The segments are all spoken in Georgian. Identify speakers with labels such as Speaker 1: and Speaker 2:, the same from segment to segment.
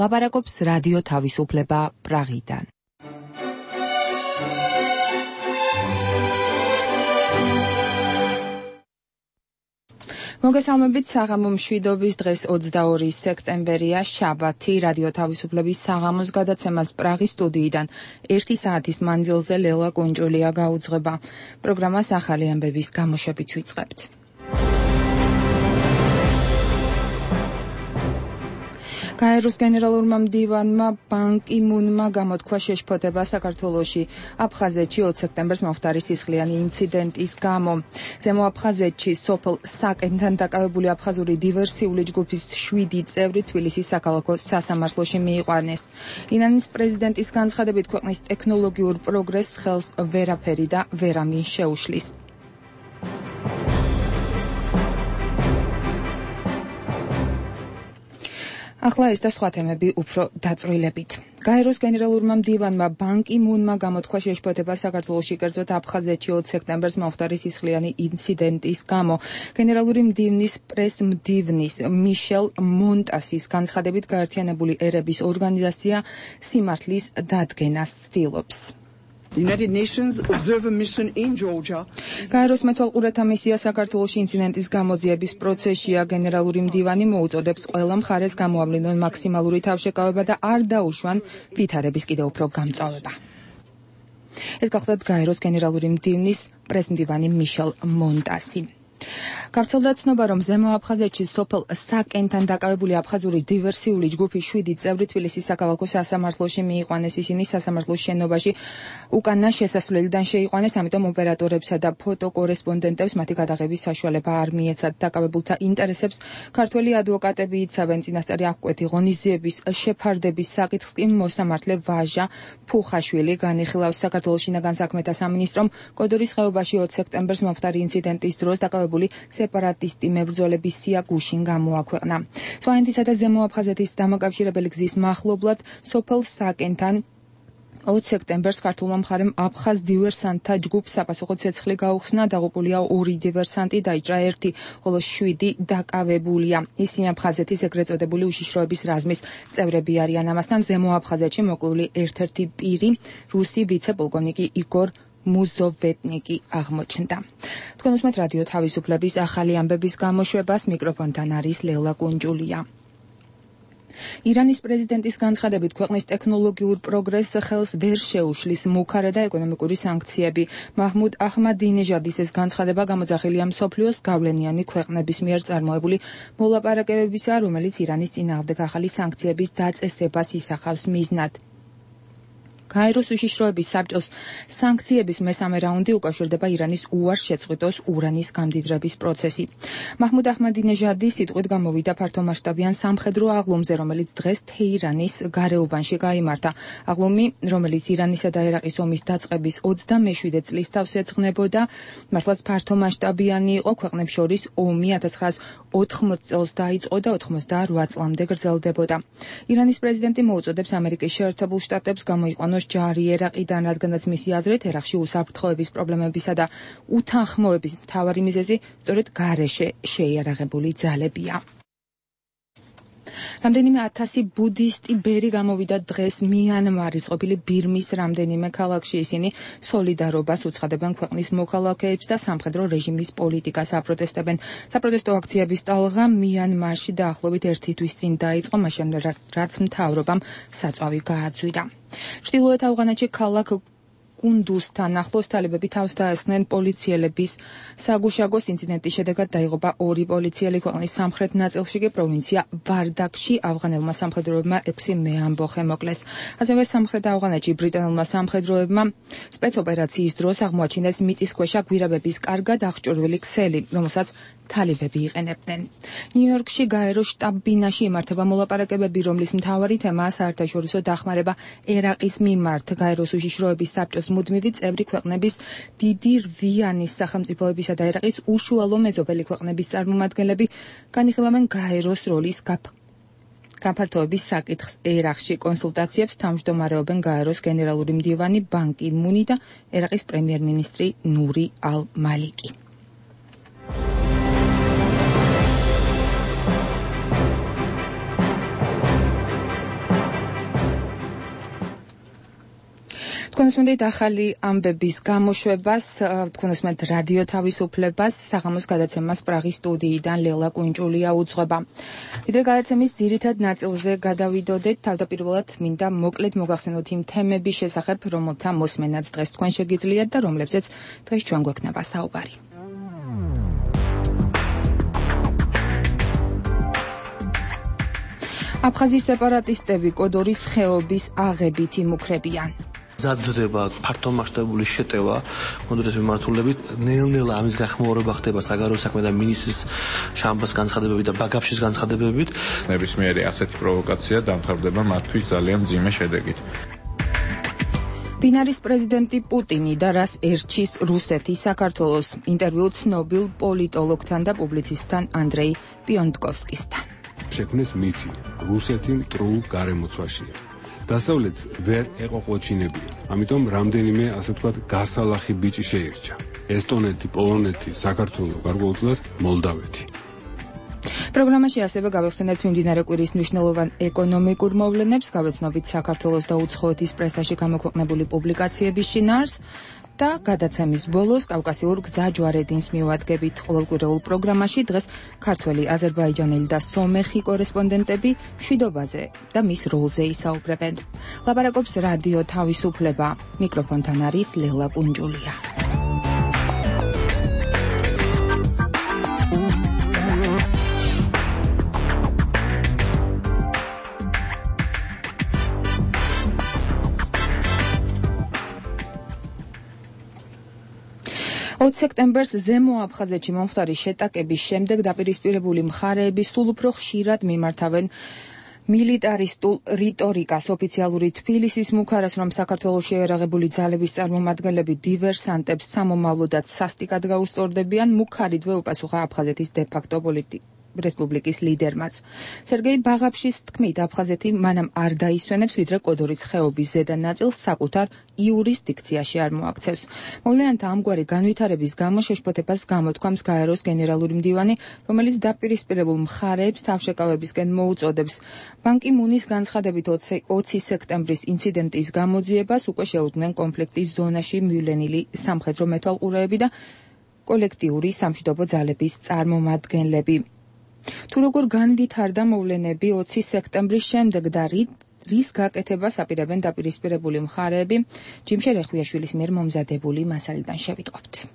Speaker 1: ლაპარაკობს რადიო თავისუფლება პრაღიდან. მოგესალმებით, საღამო მშვიდობის დღეს 22 სექტემბერია, შაბათი, რადიო თავისუფლების საღამოს გადაცემას პრაღის სტუდიიდან 1 საათის მანძილზე ლელა კუნჭულია გაუძღება. პროგრამას ახალი ამბების გამოშვებით ვიწყებთ. გაეროს გენერალურმა მდივანმა ბან კი მუნმა გამოთქვა შეშფოთება საქართველოში აფხაზეთში 20 სექტემბერს მომხდარი სისხლიანი ინციდენტის გამო. ზემო აფხაზეთში სოფელ საკენთან დაკავებული აფხაზური დივერსიული ჯგუფის 7 წევრი თბილისის საქალაქო სასამართლოში მიიყვანეს. ირანის პრეზიდენტის განცხადებით ქვეყნის ტექნოლოგიურ პროგრესს ხელს ვერაფერი და ვერავინ შეუშლის. ახლა ეს და სხვა თემები უფრო დაწვრილებით. გაეროს გენერალურმა მდივანმა ბან კი მუნმა გამოთქვა შეშფოთება საქართველოში, კერძოდ აფხაზეთში 20 სექტემბერს მომხდარი სისხლიანი ინციდენტის გამო. გენერალური მდივნის პრეს-მდივნის მიშელ მონტასის განცხადებით გაერთიანებული ერების ორგანიზაცია სიმართლის დადგენას ცდილობს.
Speaker 2: United Nations Observer Mission in Georgia.
Speaker 1: გაეროს მეთვალყურეთა მისია საქართველოში ინციდენტის გამოძიების პროცესშია. გენერალური მდივანი მოუწოდებს ყველა მხარეს გამოავლინონ მაქსიმალური თავშეკავება და არ დაუშვან ვითარების კიდევ უფრო გამწვავება. ეს გახლდათ გაეროს გენერალური მდივნის პრეს-მდივანი მიშელ მონტასი. გავრცელდა ცნობა, რომ ზემო აფხაზეთში სოფელ საკენთან დაკავებული აფხაზური დივერსიული ჯგუფის 7 წევრი თბილისის საქალაქო სასამართლოში მიიყვანეს. ისინი სასამართლოს შენობაში უკანა შესასვლელიდან შეიყვანეს, ამიტომ ოპერატორებსა და ფოტოკორესპონდენტებს მათი გადაღების საშუალება არ მიეცათ. დაკავებულთა ინტერესებს ქართველი ადვოკატები იცავენ. წინასწარი აღკვეთი ღონისძიების შეფარდების საკითხს კი მოსამართლე ვაჟა ფუხაშვილი განიხილავს. საქართველოს შინაგან საქმეთა სამინისტრომ კოდორის ხეობაში 20 სექტემბერს მომხდარი ინციდენტის დროს დაკავებული სეპარატისტი მებრძოლების სია გუშინ გამოაქვეყნა. სვანეთისა და ზემო აფხაზეთის დამაკავშირებელი გზის მახლობლად სოფელ საკენთან 20 სექტემბერს ქართულმა მხარემ აფხაზ დივერსანტთა ჯგუფს საპასუხო ცეცხლი გაუხსნა. დაღუპულია 2 დივერსანტი, დაიჭრა 1, ხოლო 7 დაკავებულია. ისინი აფხაზეთის ეგრეთ წოდებული უშიშროების რაზმის წევრები არიან. ამასთან ზემო აფხაზეთში მოკლული ერთ-ერთი პირი რუსი ვიცე-პოლკოვნიკი იგორ მუზოვეტნიკი აღმოჩნდა. თქვენ უსმენთ რადიო თავისუფლების ახალი ამბების გამოშვებას, მიკროფონთან არის ლელა კუნჭულია. ირანის პრეზიდენტის განცხადებით ქვეყნის ტექნოლოგიურ პროგრესს ხელს ვერ შეუშლის მუქარა და ეკონომიკური სანქციები. მაჰმუდ აჰმადინეჟადის ეს განცხადება გამოძახილია მსოფლიოს გავლენიანი ქვეყნების მიერ წარმოებული მოლაპარაკებებისა, რომელიც ირანის წინააღმდეგ ახალი სანქციების დაწესებას ისახავს მიზნად. გაეროს უშიშროების საბჭოს სანქციების მესამე რაუნდი უკავშირდება ირანის უარ შეწყვიტოს ურანის გამდიდრების პროცესი. მაჰმუდ აჰმადინეჟადი სიტყვით გამოვიდა ფართომასშტაბიან სამხედრო აღლუმზე, რომელიც დღეს თეირანის გარეუბანში გაიმართა. აღლუმი, რომელიც ირანისა და ერაყის ომის დაწყების 27 წლის თავს ეძღვნებოდა, მართლაც ფართომასშტაბიანი იყო. ქვეყნებს შორის ომი 1980 წელს დაიწყო და 88 წლამდე გრძელდებოდა. ირანის პრეზიდენტი მოუწოდებს ამერიკის შეერთებულ შტატებს გამოიყვანოს ჯარი ერაყიდან, რადგანაც მისი აზრით ერაყში უსაფრთხოების პრობლემებისა და უთანხმოების მთავარი მიზეზი სწორედ გარეშე შეიარაღებული ძალებია. რამდენიმე 1000 ბუდისტი ბერი გამოვიდა დღეს მიანმარის ყოფილი ბირმის რამდენიმე ქალაქში. ისინი სოლიდარობას უცხადებენ ქვეყნის მოქალაქეებს და სამხედრო რეჟიმის პოლიტიკას აპროტესტებენ. საპროტესტო აქციების ტალღა მიანმარში დაახლოებით 1 თვის წინ დაიწყო, მაშინ რაც მთავრობამ საწვავი გააძვირა. ჩრდილოეთ ავღანეთში ქალაქ კუნდუსთან ახლოს თალებები თავს დაესხნენ პოლიციელების საგუშაგოს ინციდენტის შედეგად დაიღუპა 2 პოლიციელი. ქვეყნის სამხრეთ ნაწილში კი პროვინცია ვარდაკში ავღანელმა სამხედროებმა 6 მეამბოხე მოკლეს. ასევე სამხრეთ ავღანეთში ბრიტანელმა სამხედროებმა სპეცოპერაციის დროს აღმოაჩინეს მიწისქვეშა გვირაბების კარგად აღჭურვილი ქსელი, რომელსაც თალებები იყენებდნენ. ნიუ-იორკში გაეროს შტაბ-ბინაში იმართება მოლაპარაკებები, რომლის მთავარი თემაა საერთაშორისო დახმარება ერაყის მიმართ. გაეროს უშიშროების საბჭოს მუდმივი წევრი ქვეყნების დიდი რვიანის სახელმწიფოებისა და ერაყის უშუალო მეზობელი ქვეყნების წარმომადგენლები განიხილავენ გაეროს როლის გაფართოების საკითხს ერაყში. კონსულტაციებს თავმჯდომარეობენ გაეროს გენერალური მდივანი ბან კი მუნი და ერაყის პრემიერ-მინისტრი ნური ალ-მალიკი. თქვენსმენდით ახალი ამბების გამოშვებას, თქვენსმენდით რადიო თავისუფლებას, საღამოს გადაცემას პრაღის სტუდიიდან ლელა კუნჭულია უძღვება. ვიდრე გადაცემის ძირითად ნაწილზე გადავიდოდეთ, თავდაპირველად მინდა მოკლედ მოგახსენოთ იმ თემების შესახებ, რომელთა მოსმენაც დღეს თქვენ შეგიძლიათ და რომლებზეც დღეს ჩვენ გვექნება საუბარი. აფხაზის სეპარატისტები კოდორის ხეობის აღებით იმუქრებიან.
Speaker 3: ზაძრება, ფართომასშტაბური შეტევა კონკრეტ მიმართულებით, ნელ-ნელა ამის გახმაურება ხდება საგარეო საქმე და მინისტრის შამბას განცხადებებით და ბაგაფშის განცხადებებით.
Speaker 4: ნებისმიერი ასეთი პროვოკაცია დამთავრდება მათთვის ძალიან მძიმე შედეგით.
Speaker 1: ბინარის პრეზიდენტი პუტინი და რას ერჩის რუსეთი საქართველოს. ინტერვიუ ცნობილ პოლიტოლოგთან და პუბლიცისტთან ანდრეი პიონტკოვსკისთან.
Speaker 5: შექმნეს მითი, რუსეთი მტრულ გარემოცვაშია. დასავლეთს ვერ ეყოყოჩინებია. ამიტომ რამდენიმე, ასე ვთქვათ, გასალახი ბიჭი შეირჩა. ესტონეთი, პოლონეთი, საქართველო, გარკვეულწილად მოლდავეთი.
Speaker 1: პროგრამაში ასევე გავეხსენებთ მიმდინარე კვირის მნიშვნელოვან ეკონომიკურ მოვლენებს, გავეცნობით საქართველოს და უცხოეთის პრესაში გამოქვეყნებული პუბლიკაციების შინაარსს და გადაცემის ბოლოს კავკასიურ გზაჯვარედინს მივადგებით. ყოველკვირეულ პროგრამაში დღეს ქართველი, აზერბაიჯანელი და სომეხი კორესპონდენტები მშვიდობაზე და მის როლზე ისაუბრებენ. ლაპარაკობს რადიო თავისუფლება. მიკროფონთან არის ლელა კუნჯულია. სექტემბერს ზემო აფხაზეთში მომხდარი შეტაკების შემდეგ დაპირისპირებული მხარეები სულ უფრო ხშირად მიმართავენ მილიტარისტულ რიტორიკას. ოფიციალური თბილისის მუქარას, რომ საქართველოში შეერაღებული ძალების წარმომადგენლები დივერსანტებს სამომავლოდაც სასტიკად გაუსწორდებიან, მუქარიდვე უპასუხა აფხაზეთის დე-ფაქტო რესპუბლიკის ლიდერმაც. სერგეი ბაღაფშის თქმით, აფხაზეთი მანამ არ დაისვენებს, ვიდრე კოდორის ხეობის ზედა ნაწილს საკუთარ იურისდიქციაში არ მოაქცევს. მოვლენათა ამგვარი განვითარების გამო შეშფოთებას გამოთქვამს გაეროს გენერალური მდივანი, რომელიც დაპირისპირებულ მხარეებს თავშეკავებისკენ მოუწოდებს. ბან კი მუნის განცხადებით 20 სექტემბრის ინციდენტის გამოძიებას უკვე შეუდგნენ კონფლიქტის ზონაში მივლენილი სამხედრო მეთვალყურეები და კოლექტიური სამშვიდობო ძალების წარმომადგენლები. თუ როგორ განვითარდა მოვლენები 20 სექტემბრის შემდეგ და რის გაკეთებას აპირებენ დაპირისპირებული მხარეები, ჯიმშერ ეხვიაშვილის მიერ მომზადებული მასალიდან შევიტყობთ.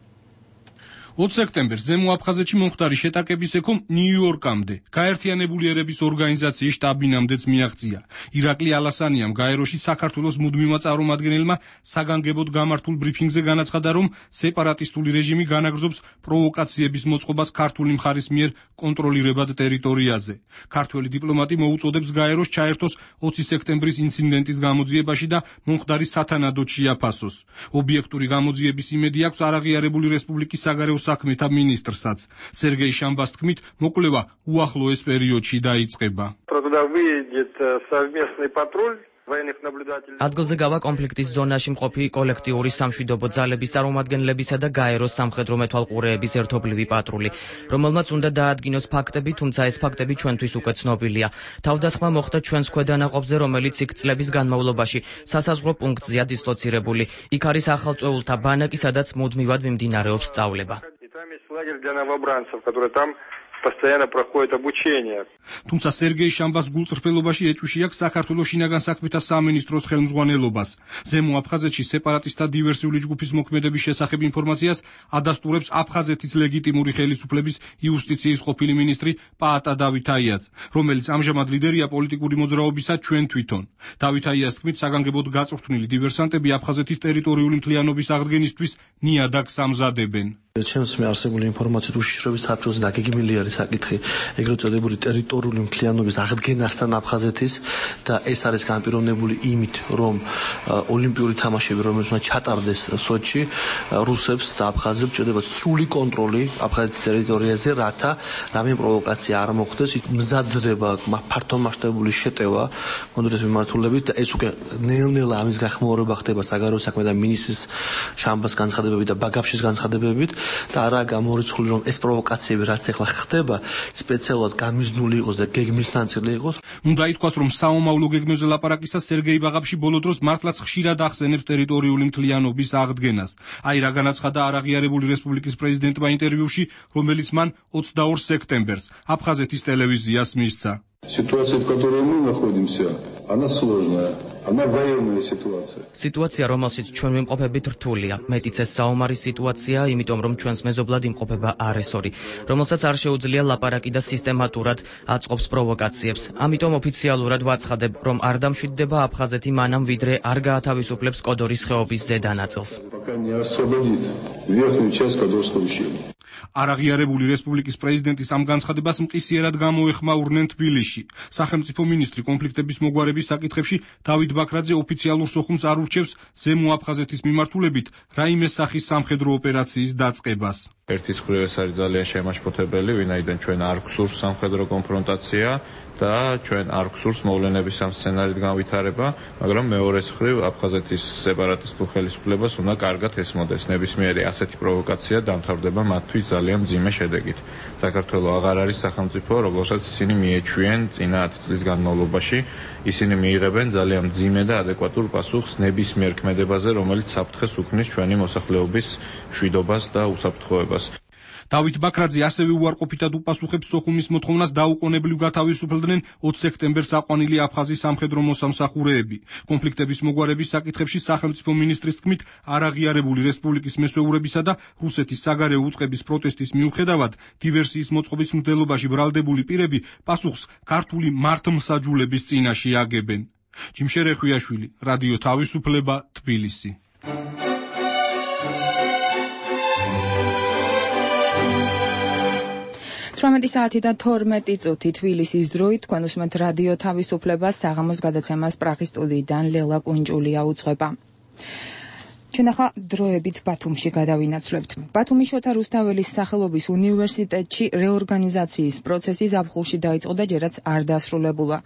Speaker 6: 20 სექტემბერს ზემო აფხაზეთში მომხდარი შეტაკების ეკომ ნიუ-იორკამდე, გაერთიანებული ერების ორგანიზაციის შტაბინამდეც მიაღწია. ირაკლი ალასანიამ გაეროში საქართველოს მუდმივმა წარმომადგენელმა საგანგებოდ გამართულ ბრიფინგზე განაცხადა, რომ სეპარატისტული რეჟიმი განაგრძობს პროვოკაციების მოწყობას ქართული მხარის მიერ კონტროლირებად ტერიტორიაზე. ქართველი დიპლომატი მოუწოდებს გაეროს ჩაერთოს 20 სექტემბრის ინციდენტის გამოძიებაში და მომხდარი სათანადოდ შეაფასოს. ობიექტური გამოძიების იმედი აქვს არაღიარებული რესპუბლიკის საგარეო საქმეთა ministrსაც. სერგეი შამბას თქმით, მოკვლევა უახლოეს პერიოდში დაიწყება.
Speaker 7: ადგილზე გავა კონფლიქტის ზონაში მყოფი კოლექტიური სამშვიდობო ძალების წარმომადგენლებისა და გაეროს სამხედრო მეთვალყურეების ერთობლივი პატრული, რომელმაც უნდა დაადგინოს ფაქტები, თუმცა ეს ფაქტები ჩვენთვის უკვე ცნობილია. თავდასხმა მოხდა ჩვენს ქვედანაყოფზე, რომელიც იქ წლების განმავლობაში სასაზღვრო პუნქტზეა დისლოცირებული. იქ არის ახალწვეულთა ბანაკი, სადაც მუდმივად მიმდინარეობს სწავლება.
Speaker 4: постоянно проходит обучение.
Speaker 6: თუმცა სერგეი შამბას გულწრფელობაში ეჭვში აქვს საქართველოს შინაგან საქმეთა სამინისტროს ხელმძღვანელობას. ზემო აფხაზეთში სეპარატისტთა დივერსიული ჯგუფის მოქმედების შესახებ ინფორმაციას ადასტურებს აფხაზეთის ლეგიტიმური ხელისუფლების იუსტიციის ყოფილი მინისტრი პაატა დავითაიაც, რომელიც ამჟამად ლიდერია პოლიტიკური მოძრაობისა ჩვენ თვითონ. დავითაიას თქმით, საგანგებოდ გაწვრთნილი დივერსანტები აფხაზეთის ტერიტორიული მთლიანობის აღდგენისთვის ნიადაგს ამზადებენ.
Speaker 3: ჩემს მე არსებული ინფორმაციით უშიშროების საბჭოზე დაგეგმილი არის საკითხი ეგრეთ წოდებული ტერიტორიული მთლიანობის აღდგენასთან აფხაზეთის და ეს არის განპირობებული იმით, რომ ოლიმპიური თამაშები, რომელიც უნდა ჩატარდეს სოჩი, რუსებს და აფხაზებს ჭირდება სრული კონტროლი აფხაზეთის ტერიტორიაზე, რათა რამე პროვოკაცია არ მოხდეს, მზაძრება, ფართომასშტაბური შეტევა კონკრეტ მიმართულებით და ეს უკვე ნელ-ნელა ამის გახმაურება ხდება საგარეო საქმეთა მინისტრის შამბას განცხადებებით და ბაგაფშის განცხადებებით. და არაა გამორიცხული რომ ეს პროვოკაციები რაც ახლა ხდება სპეციალურად გამიზნული იყოს და გეგმის ნაწილი იყოს.
Speaker 6: უნდა ითქვას რომ საომავლო გეგმებზე ლაპარაკისას სერგეი ბაღაფში ბოლო დროს მართლაც ხშირად ახსენებს ტერიტორიული მთლიანობის აღდგენას. აი რა განაცხადა არაღიარებული რესპუბლიკის პრეზიდენტმა ინტერვიუში, რომელიც მან 22 სექტემბერს აფხაზეთის ტელევიზიას მისცა.
Speaker 8: Ситуация, в которой мы находимся, она сложная. Она военная ситуация.
Speaker 7: Ситуация, რომელშიც ჩვენ ვიმყოფებით რთულია. მეტიც ეს საომარი სიტუაცია, იმიტომ რომ ჩვენს მეზობლად იმყოფება აგრესორი, რომელსაც არ შეუძლია ლაპარაკი და სისტემატურად აწყობს პროვოკაციებს. ამიტომ ოფიციალურად ვაცხადებ, რომ არ დამშვიდდება აფხაზეთი მანამ ვიდრე არ გაათავისუფლებს კოდორის ხეობის ზედა ნაწილს.
Speaker 8: Пока не освободит верхнюю часть Кодорского ущелья.
Speaker 6: არაღიარებული რესპუბლიკის პრეზიდენტის ამ განცხადებას მყისიერად გამოეხმაურნენ თბილისში. სახელმწიფო მინისტრი კონფლიქტების მოგვარების საკითხებში დავით ბაქრაძე ოფიციალურ სოხუმს არ ურჩევს ზემო აფხაზეთის მიმართულებით რაიმე სახის სამხედრო ოპერაციის დაწყებას.
Speaker 4: ერთის მხრივ ეს არის ძალიან შემაშფოთებელი, ვინაიდან ჩვენ არ გვსურს სამხედრო კონფრონტაცია და ჩვენ არ გვსურს მოვლენების ამ სცენარით განვითარება, მაგრამ მეორეს მხრივ აფხაზეთის სეპარატისტულ ხელისუფლებას უნდა კარგად ესმოდეს. ნებისმიერი ასეთი პროვოკაცია დამთავრდება მათთვის ძალიან მძიმე შედეგით. საქართველო აღარ არის სახელმწიფო, რომელსაც ისინი მიეჩვიენ წინა 10 წლის განმავლობაში. ისინი მიიღებენ ძალიან მძიმე და ადეკვატურ პასუხს ნებისმიერ ქმედებაზე, რომელიც საფრთხეს უქმნის ჩვენი მოსახლეობის მშვიდობას და უსაფრთხოებას. დავით ბაქრაძე ასევე უარყოფითად უპასუხებს სოხუმის მოთხოვნას დაუყოვნებლივ გათავისუფლდნენ 20 სექტემბერს აყვანილი აფხაზის სამხედრო მოსამსახურეები. კონფლიქტების მოგვარების საკითხებში სახელმწიფო მინისტრის თქმით, არაღიარებული რესპუბლიკის მესვეურებისა და რუსეთის საგარეო უწყების პროტესტის მიუხედავად, დივერსიის მოწყობის მცდელობაში ბრალდებული პირები პასუხს ქართული მართლმსაჯულების წინაშე აგებენ. ჯიმშერე ხვიაშვილი, რადიო თავისუფლება, თბილისი.
Speaker 1: 18 საათი და 12 წუთი თბილისის დროით თქვენ უსმენთ რადიო თავისუფლებას საღამოს გადაცემას პრაღის სტუდიიდან ლელა კუნჭულია უძღვება. ჩვენ ახლა დროებით ბათუმში გადავინაცვლებთ. ბათუმის შოთა რუსთაველის სახელობის უნივერსიტეტში რეორგანიზაციის პროცესი ზაფხულში დაიწყო და ჯერაც არ დასრულებულა.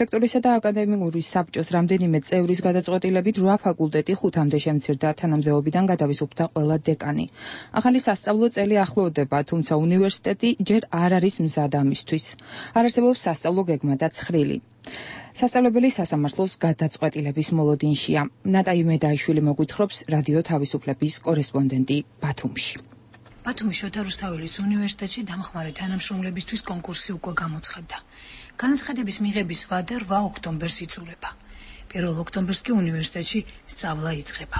Speaker 1: რექტორისა და აკადემიური საბჭოს რამდენიმე წევრის გადაწყვეტილებით 8 ფაკულტეტი 5-მდე შემცირდა, თანამდებობიდან გადავისუფლდა ყველა დეკანი. ახალი სასწავლო წელი ახლოვდება, თუმცა უნივერსიტეტი ჯერ არ არის მზად ამისთვის. არ არსებობს სასწავლო გეგმა და ცხრილი. სასწავლებელი სასამართლოს გადაწყვეტილების მოლოდინშია. ნატაი მედაიშვილი მოგვითხრობს რადიო თავისუფლების კორესპონდენტი ბათუმში.
Speaker 9: ბათუმის შოთა რუსთაველის უნივერსიტეტში დამხმარე თანამშრომლებისთვის კონკურსი უკვე გამოცხადდა. განაცხადების მიღების ვადა 8 ოქტომბერს იწურება. 1 ოქტომბერს კი უნივერსიტეტში სწავლა იწყება.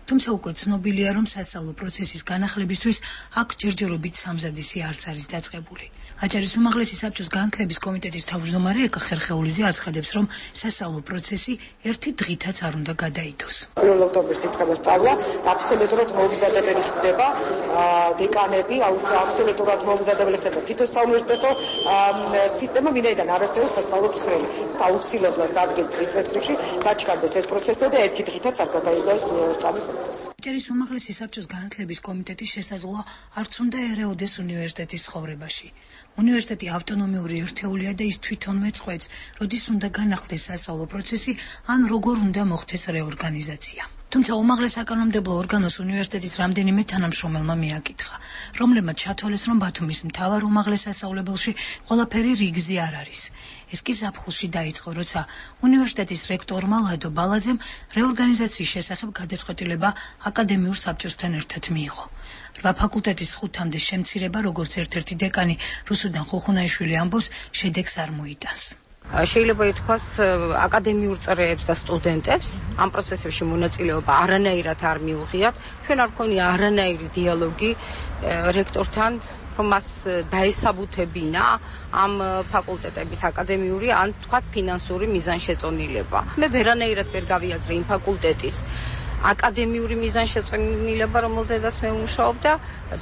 Speaker 9: თუმცა უკვე ცნობილია, რომ სასწავლო პროცესის განახლებისთვის აქ ჯერჯერობით სამზადისი არც არის დაწყებული. აჭარის უმაღლესი საბჭოს განათლების კომიტეტის თავმჯდომარე ეკა ხერხეულიძე აცხადებს, რომ სასწავლო პროცესი ერთი დღითაც არ უნდა გადაიდოს.
Speaker 10: 1 ოქტომბერს იწყება სწავლა, აბსოლუტურად მომზადებელი ხდება დეკანები, აბსოლუტურად მომზადებელი ხდება თითო საუნივერსიტეტო სისტემა, ვინაიდან არ არსებობს სასწავლო ცხრილი. აუცილებლად დადგეს დღის წესრიგში, დაჩქარდეს ეს პროცესი და ერთი დღითაც არ გადაიდოს სწავლის პროცესი.
Speaker 9: აჭარის უმაღლესი საბჭოს განათლების კომიტეტის შესაძლოა არც უნდა ერეოდეს უნივერსიტეტის ცხოვრებაში. უნივერსიტეტი ავტონომიური ერთეულია და ის თვითონვე წყვეტს, როდის უნდა განახლდეს სასწავლო პროცესი, ან როგორ უნდა მოხდეს რეორგანიზაცია. თუმცა უმაღლეს საკანონმდებლო ორგანოს უნივერსიტეტის რამდენიმე თანამშრომელმა მიაკითხა, რომლებმაც ჩათვალეს, რომ ბათუმის მთავარ უმაღლეს სასწავლებელში ყველაფერი რიგზე არ არის. ეს კი ზაფხულში დაიწყო, როცა უნივერსიტეტის რექტორმა ლადო ბალაძემ რეორგანიზაციის შესახებ გადაწყვეტილება აკადემიურ საბჭოსთან ერთად მიიღო. 8 ფაკულტეტის 5-მდე შემცირება, როგორც ერთ-ერთი დეკანი რუსუდან ხუხუნაიშვილი ამბობს, შედეგს არ მოიტანს.
Speaker 11: შეიძლება ითქვას, აკადემიურ წრეებს და სტუდენტებს ამ პროცესებში მონაწილეობა არანაირად არ მიუღიათ. ჩვენ არ გვქონია არანაირი დიალოგი რექტორთან, რომ მას დაესაბუთებინა ამ ფაკულტეტების აკადემიური ან თქვათ ფინანსური მიზანშეწონილება. მე ვერანაირად ვერ გავიაზრე იმ ფაკულტეტის აკადემიური მიზანშეწონილება, რომელზედაც მე ვმუშაობ და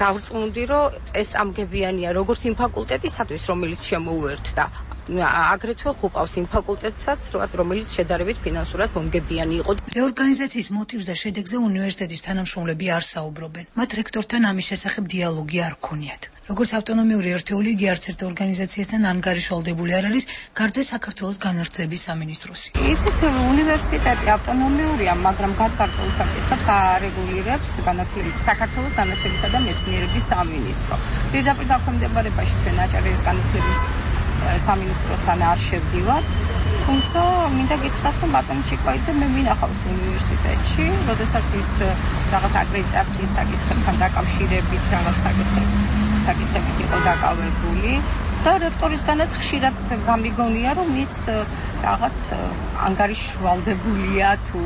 Speaker 11: დავწმუნდი, რომ წესამგებიანია როგორც იმ ფაკულტეტისათვის, რომელიც შემოუერთდა აგრეთვე ხუყავს იმ ფაკულტეტსაც, რომელიც შედარებით ფინანსურად მომგებიანი იყო.
Speaker 9: რეორგანიზაციის მოტივს და შედეგზე უნივერსიტეტის თანამშრომლები არ საუბრობენ. მათ რექტორთან ამის შესახებ დიალოგი არ ჰქონიათ. როგორც ავტონომიური ერთეული, იგი არც ერთ ორგანიზაციასთან ანგარიშვალდებული არ არის, გარდა საქართველოს განათლების სამინისტროსი.
Speaker 11: იცით, უნივერსიტეტი ავტონომიურია, მაგრამ გარკვეულ საკითხებს არეგულირებს საქართველოს განათლებისა და მეცნიერების სამინისტრო. პირდაპირ დაქვემდებარებაში ჩვენ აჭარის განათლების სამინისტროსთან არ შევდივართ, თუმცა მინდა გითხრათ, რომ ბატონი ჩიკვაიძე მე მინახავს უნივერსიტეტში, როდესაც ის რაღაც აკრედიტაციის საკითხებთან დაკავშირებით რაღაც საკითხებით იყო დაკავებული და რექტორისგანაც ხშირად გამიგონია, რომ ის რაღაც ანგარიშვალდებულია თუ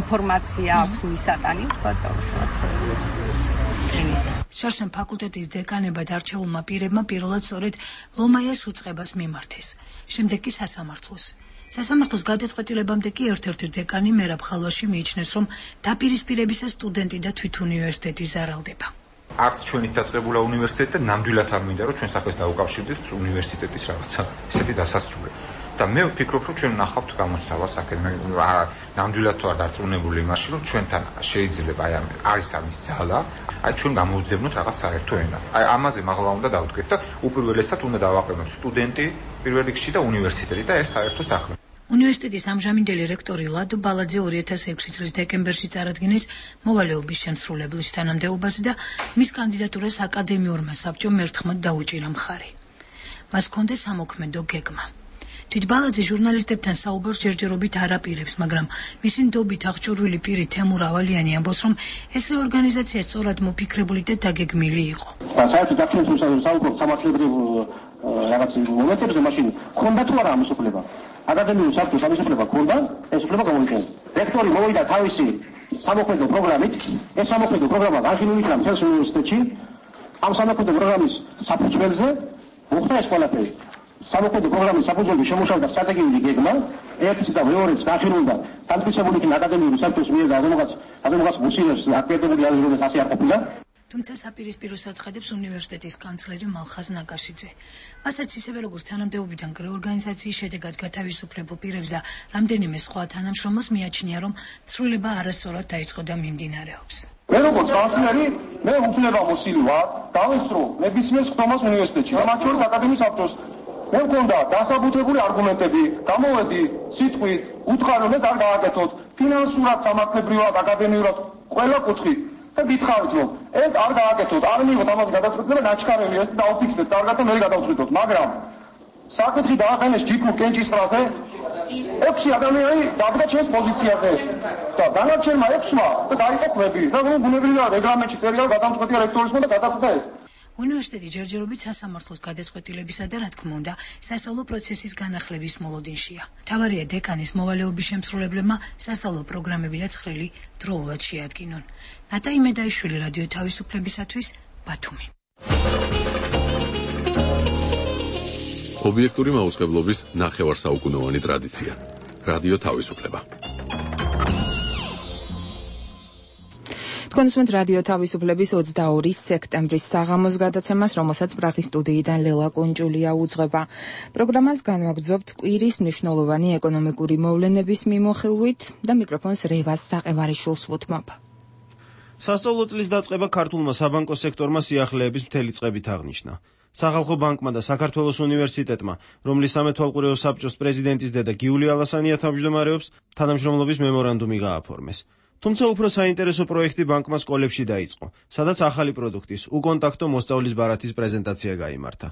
Speaker 11: ინფორმაცია აქვს მისატანი, თქვა და უშუალოდ
Speaker 9: შარშან ფაკულტეტის დეკანებად არჩეულმა პირებმა პირველად სწორედ ლომაიას უწყებას მიმართეს. შემდეგ კი სასამართლოს. სასამართლოს გადაწყვეტილებამდე კი ერთ-ერთი დეკანი მერაბ ხალვაში მიიჩნევს, რომ დაპირისპირებისა სტუდენტი და თვით უნივერსიტეტი ზარალდება.
Speaker 12: არც ჩვენით დაწყებულა უნივერსიტეტი და ნამდვილად არ მინდა, რომ ჩვენ სახელს დაუკავშირდეთ უნივერსიტეტის რაღაცა ესეთი დასასრულები. და მე ვფიქრობ, რომ ჩვენ ნახავთ გამოსავალს ნამდვილად თუ არ დარწმუნებული იმაში, რომ ჩვენთან შეიძლება არის ამის ძალა, ჩვენ გამოვძებნოთ რაღაც საერთო ენა. ამაზე მაღლა უნდა დავდგეთ და უპირველესად უნდა დავაყენოთ სტუდენტი პირველ რიგში და უნივერსიტეტი და ეს საერთო საქმე.
Speaker 9: უნივერსიტეტის ამჟამინდელი რექტორი ლადო ბალაძე 2006 წლის დეკემბერში წარადგინეს მოვალეობის შემსრულებლის თანამდებობაზე და მის კანდიდატურას აკადემიურმა საბჭომ ერთხმად დაუჭირა მხარი. მას ჰქონდა სამოქმედო გეგმა. თვით ბალაძე ჟურნალისტებთან საუბარს ჯერჯერობით არ აპირებს, მაგრამ მისი ნდობით აღჭურვილი პირი თემურ ავალიანი ამბობს, რომ ეს ორგანიზაცია სწორად მოფიქრებული და დაგეგმილი იყო.
Speaker 13: საერთოდ დაქცევით საუბრობთ სამართლებრივ რაღაც მომენტებზე, მაშინ ქონდა თუ არა ამის უფლება? აკადემიური საბჭოს ამის უფლება ქონდა, ეს უფლება გამოიყენა. რექტორი მოვიდა თავისი სამოქმედო პროგრამით, ეს სამოქმედო პროგრამა აღინიშნა იქნა მთელს უნივერსიტეტში, ამ სამოქმედო პროგრამის საფუძველზე მოხდა ეს ყველაფერი. სამოქმედო პროგრამის საფუძველზე შემუშავდა სტრატეგიული გეგმა, ერთიც და მეორეც გახირულდა დამტკიცებული იქნა აკადემიური საბჭოს მიერ და ადამიანს მუსილებს აკადემიური არის, რომ ასე არ ყოფილა.
Speaker 9: თუმცა საპირისპიროს აცხადებს უნივერსიტეტის კანცლერი მალხაზ ნაკაშიძე. მასაც ისევე როგორც თანამდებობიდან რეორგანიზაციის შედეგად გათავისუფლებულ პირებს და რამდენიმე სხვა თანამშრომელს მიაჩნია, რომ ცვლილება არასწორად დაიწყო და მიმდინარეობს.
Speaker 13: მე როგორც კანცლერი, მე უფლებამოსილი ვარ, დავესწრო ნებისმიერ სხდომას უნივერსიტეტში, მათ შორის აკადემიის საბჭოს. მე მქონდა დასაბუთებული არგუმენტები, გამოვედი სიტყვით, უთხრა რომ ეს არ გააკეთოთ, ფინანსურად, სამართლებრივად, აკადემიურად, ყველა კუთხით. და გითხარით, რომ ეს არ გააკეთოთ, არ მიიღოთ ამას გადაწყვეტილება, ნაჩქარევი ეს დაუფიქრეთ, კარგად და მე გადავწყვიტოთ, მაგრამ საკითხი დააყენეს ჯიქურ კენჭისყრაზე, 6 ადამიანი დადგა ჩემს პოზიციაზე და დანარჩენმა 6-მა და დაიყო ხვები და ბუნებრივია რეგლამენტში წერია გადამწყვეტია რექტორისმა და გადაწყვეტა ეს.
Speaker 9: უნივერსიტეტი ჯერჯერობით სასამართლოს გადაწყვეტილებისა და რა თქმა უნდა სასწავლო პროცესის განახლების მოლოდინშია. მთავარია დეკანის მოვალეობის შემსრულებლებმა სასწავლო პროგრამები და ცხრილი დროულად შეადგინონ. ნატაი მედაიშვილი, რადიო თავისუფლებისათვის, ბათუმი.
Speaker 14: ობიექტური მაუწყებლობის ნახევარსაუკუნოვანი ტრადიცია. რადიო თავისუფლება.
Speaker 1: თქვენსმენთ რადიო თავისუფლების 22 სექტემბრის საღამოს გადაცემას, რომელსაც პრაღის სტუდიიდან ლელა კუნჭულია უძღვება. პროგრამას განვაგრძობთ კვირის მნიშვნელოვანი ეკონომიკური მოვლენების მიმოხილვით და მიკროფონს რევას საყევარიშვილს ვუთმობ.
Speaker 15: სასწავლო წლის დაწყება ქართულმა საბანკო სექტორმა სიახლეების მთელი წყებით აღნიშნა. სახალხო ბანკმა და საქართველოს უნივერსიტეტმა, რომლის სამეთვალყურეო საბჭოს პრეზიდენტის დედა გიული ალასანია თავმჯდომარეობს, თანამშრომლობის მემორანდუმი გააფორმეს. თუმცა უფრო საინტერესო პროექტი ბანკმა სკოლებში დაიწყო, სადაც ახალი პროდუქტის, უკონტაქტო მოსწავლის ბარათის პრეზენტაცია გაიმართა.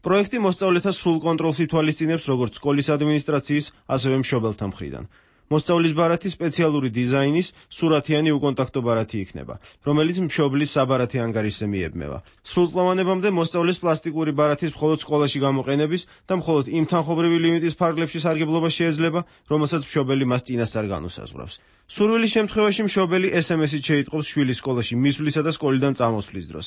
Speaker 15: პროექტი მოსწავლეთა სრულ კონტროლს ითვალისწინებს როგორც სკოლის ადმინისტრაციის, ასევე მშობელთა მხრიდან. მოსწავლის ბარათი სპეციალური დიზაინის, სურათიანი უკონტაქტო ბარათი იქნება, რომელიც მშობლის საბარათი ანგარიშზე მიებმევა. სრულწლოვანებამდე მოსწავლის პლასტიკური ბარათის მხოლოდ სკოლაში გამოყენების და მხოლოდ იმ თანხმობრივი ლიმიტის ფარგლებში სარგებლობა შეეძლება, რომელსაც მშობელი მას წინასწარ განუსაზღვრავს. სურვილის შემთხვევაში მშობელი SMS-ით შეიტყობს შვილის სკოლაში მისვლისა და სკოლიდან წამოსვლის დროს.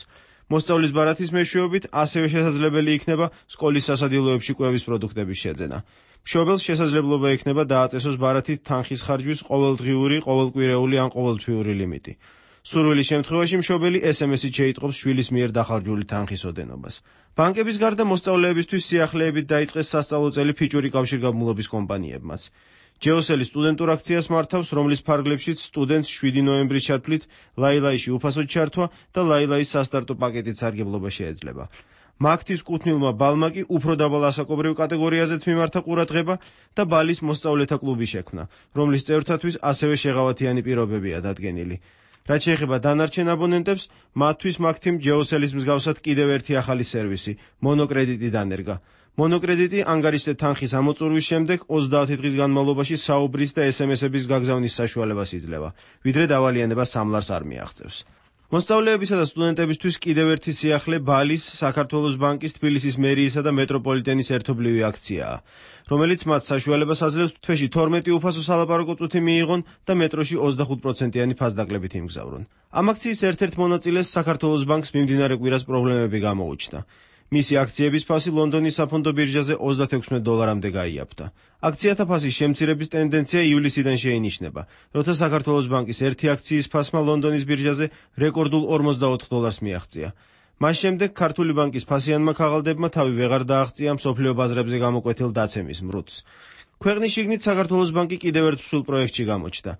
Speaker 15: მოსწავლის ბარათის მეშვეობით ასევე შესაძლებელი იქნება სკოლის სასადილოებში კვების პროდუქტების შეძენა. მშობელს შესაძლებლობა ექნება დააწესოს ბარათით თანხის ხარჯვის ყოველდღიური, ყოველკვირეული ან ყოველთვიური ლიმიტი. სურვილის შემთხვევაში მშობელი SMS-ით შეიტყობს შვილის მიერ დახარჯული თანხის ოდენობას. ბანკების გარდა მოსწავლეებისთვის სიახლეებით დაიწყეს სასწავლო წელი ფიჭური კავშირგაბმულობის კომპანიებმაც. ჯეოსელი სტუდენტურ აქციას მართავს, რომლის ფარგლებშიც სტუდენტს 7 ნოემბრის ჩათვლით ლაილაიში უფასოდ ჩართვა და ლაილაის სასტარტო პაკეტით სარგებლობა შეეძლება. მაგთის კუთვნილმა ბალმა კი უფრო დაბალ ასაკობრივ კატეგორიაზეც მიმართა ყურადღება და ბალის მოსწავლეთა კლუბი შექმნა, რომლის წევრთათვის ასევე შეღავათიანი პირობებია დადგენილი. რაც შეეხება დანარჩენ აბონენტებს, მათთვის მაგთიმ ჯეოსელის მსგავსად კიდევ ერთი ახალი სერვისი, მონოკრედიტი დანერგა. მონოკრედიტი ანგარიშზე თანხის ამოწურვის შემდეგ 30 დღის განმავლობაში საუბრის და SMS-ების გაგზავნის საშუალებას იძლევა, ვიდრე დავალიანება სამლარს არ მიაღწევს. მოსწავლეებისა და სტუდენტებისთვის კიდევ ერთი სიახლე ბალის, საქართველოს ბანკის, თბილისის მერიისა და მეტროპოლიტენის ერთობლივი აქციაა, რომელიც მათ საშუალებას აძლევს თვეში 12 უფასო სალაპარაკო წუთი მიიღონ და მეტროში 25%-იანი ფასდაკლებით იმგზავრონ. ამ აქციის ერთ-ერთ მონაწილეს საქართველოს ბანკს მიმდინარე კვირას პრობლემები გამოუჩნდა. მისი აქციების ფასი ლონდონის საფონდო ბირჟაზე $36-მდე გაიაფთა. აქციათა ფასის შემცირების ტენდენცია ივლისიდან შეინიშნება, როცა საქართველოს ბანკის ერთი აქციის ფასმა ლონდონის ბირჟაზე რეკორდულ $44 მიაღწია. მას შემდეგ ქართული ბანკის ფასიანმა ქაღალდებმა თავი ვეღარ დააღწია მსოფლიო ბაზრებზე გამოკვეთილ დაცემის მრუდს. ქვეყნის შიგნით საქართველოს ბანკი კიდევ ერთ მსხვილ პროექტში გამოჩნდა.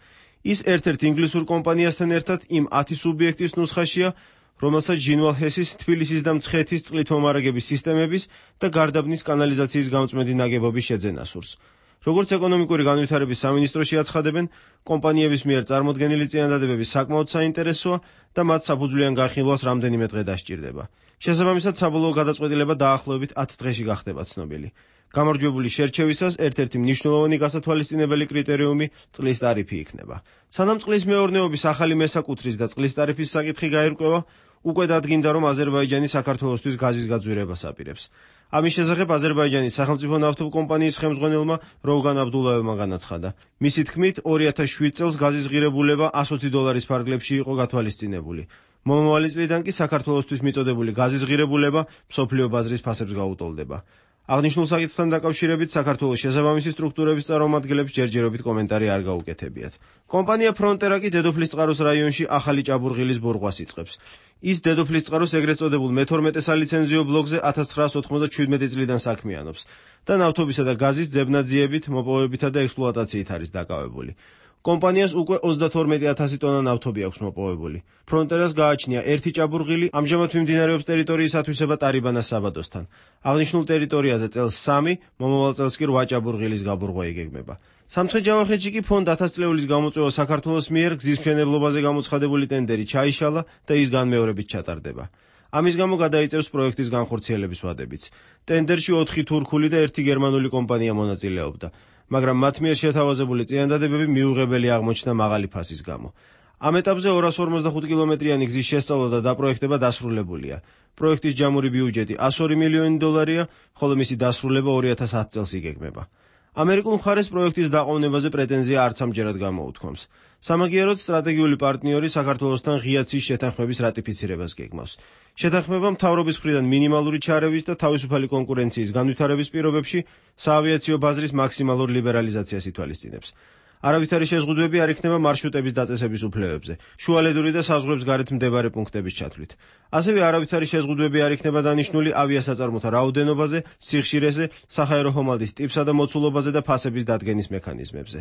Speaker 15: ის ერთ-ერთ ინგლისურ კომპანიასთან ერთად იმ 10 სუბიექტის ნუსხაშია, რომელსაც ჟინვალ-ჰესის, თბილისის და მცხეთის წყლით მომარაგების სისტემების და გარდაბნის კანალიზაციის გამწმენდი ნაგებობის შეძენა სურს. როგორც ეკონომიკური განვითარების სამინისტროში აცხადებენ, კომპანიების მიერ წარმოდგენილი წინადადებები საკმაოდ საინტერესოა და მათ საფუძვლიან განხილვას რამდენიმე დღე დასჭირდება. შესაბამისად, საბოლოო გადაწყვეტილება დაახლოებით 10 დღეში გახდება ცნობილი. გამარჯვებული შერჩევისას ერთ-ერთი მნიშვნელოვანი გასათვალისწინებელი კრიტერიუმი წყლის ტარიფი იქნება. სანამ წყლის მეურნეობის ახალი მესაკუთრის და წყლის ტარიფის საკითხი გაირკვევა, უკვე დადგინდა, რომ აზერბაიჯანი საქართველოსთვის გაზის გაძვირებას აპირებს. ამის შესახებ აზერბაიჯანის სახელმწიფო ნავთობკომპანიის ხელმძღვანელმა როვგან აბდულაევმა განაცხადა. მისი თქმით, 2007 წელს გაზის ღირებულება $120 ფარგლებში იყო გათვალისწინებული. მომავალი წლიდან კი საქართველოსთვის მიწოდებული გაზის ღირებულება მსოფლიო ბაზრის ფასებს გაუტოლდება. აღნიშნულ საკითხთან დაკავშირებით საქართველოს შესაბამისი სტრუქტურების წარმომადგენლებს ჯერჯერობით კომენტარი არ გაუკეთებიათ. კომპანია ფრონტერა კი დედოფლისწყაროს რაიონში ახალი ჭაბურღილის ბურღვას იწყებს. ის დედოფლისწყაროს ეგრეთ წოდებულ მე-12 სალიცენზიო ბლოკზე 1997 წლიდან საქმიანობს და ნავთობისა და გაზის ძებნაძიებით, მოპოვებითა და ექსპლუატაციით არის დაკავებული. კომპანიას უკვე 32,000 ტონა ნავთობი აქვს მოპოვებული. ფრონტერას გააჩნია ერთი ჭაბურღილი, ამჟამად მიმდინარეობს ტერიტორიის ათვისება ტარიბანას საბადოსთან. აღნიშნულ ტერიტორიაზე წელს 3, მომავალ წელს კი 8 ჭაბურღილის გაბურღვა იგეგმება. სამცხე-ჯავახეთში კი ფონდ 1000 წლეულის გამოწვევა საქართველოს მიერ გზის მშენებლობაზე გამოცხადებული ტენდერი ჩაიშალა და ის განმეორებით ჩატარდება. ამის გამო გადაიწევს პროექტის განხორციელების ვადებიც. ტენდერში 4 თურქული და 1 გერმანული კომპანია მონაწილეობდა. მაგრამ მათ მიერ შეთავაზებული წინადადებები მიუღებელი აღმოჩნდა მაღალი ფასის გამო. ამ ეტაპზე 245 კილომეტრიანი გზის შესწავლა და დაპროექტება დასრულებულია. პროექტის ჯამური ბიუჯეტი $102 მილიონია, ხოლო მისი დასრულება 2010 წელს იგეგმება. ამერიკულ მხარეს პროექტის დაყოვნებაზე პრეტენზია არც ამჯერად გამოუთქვამს. სამაგიეროდ სტრატეგიული პარტნიორი საქართველოსთან ღიაცის შეთანხმების რატიფიცირებას გეგმავს. შეთანხმება მთავრობის მხრიდან მინიმალური ჩარევის და თავისუფალი კონკურენციის განვითარების პირობებში საავიაციო ბაზრის მაქსიმალურ ლიბერალიზაციას ითვალისწინებს. არავითარი შეზღუდვები არ იქნება მარშრუტების დაწესების უფლებებზე, შუალედური და საზღვრებს გარეთ მდებარე პუნქტების ჩათვლით. ასევე არავითარი შეზღუდვები არ იქნება დანიშნული ავიასაწარმოთა რაოდენობაზე, სიხშირეზე, საჰაერო ხომალდის ტიპსა და მოცულობაზე და ფასების დადგენის მექანიზმებზე.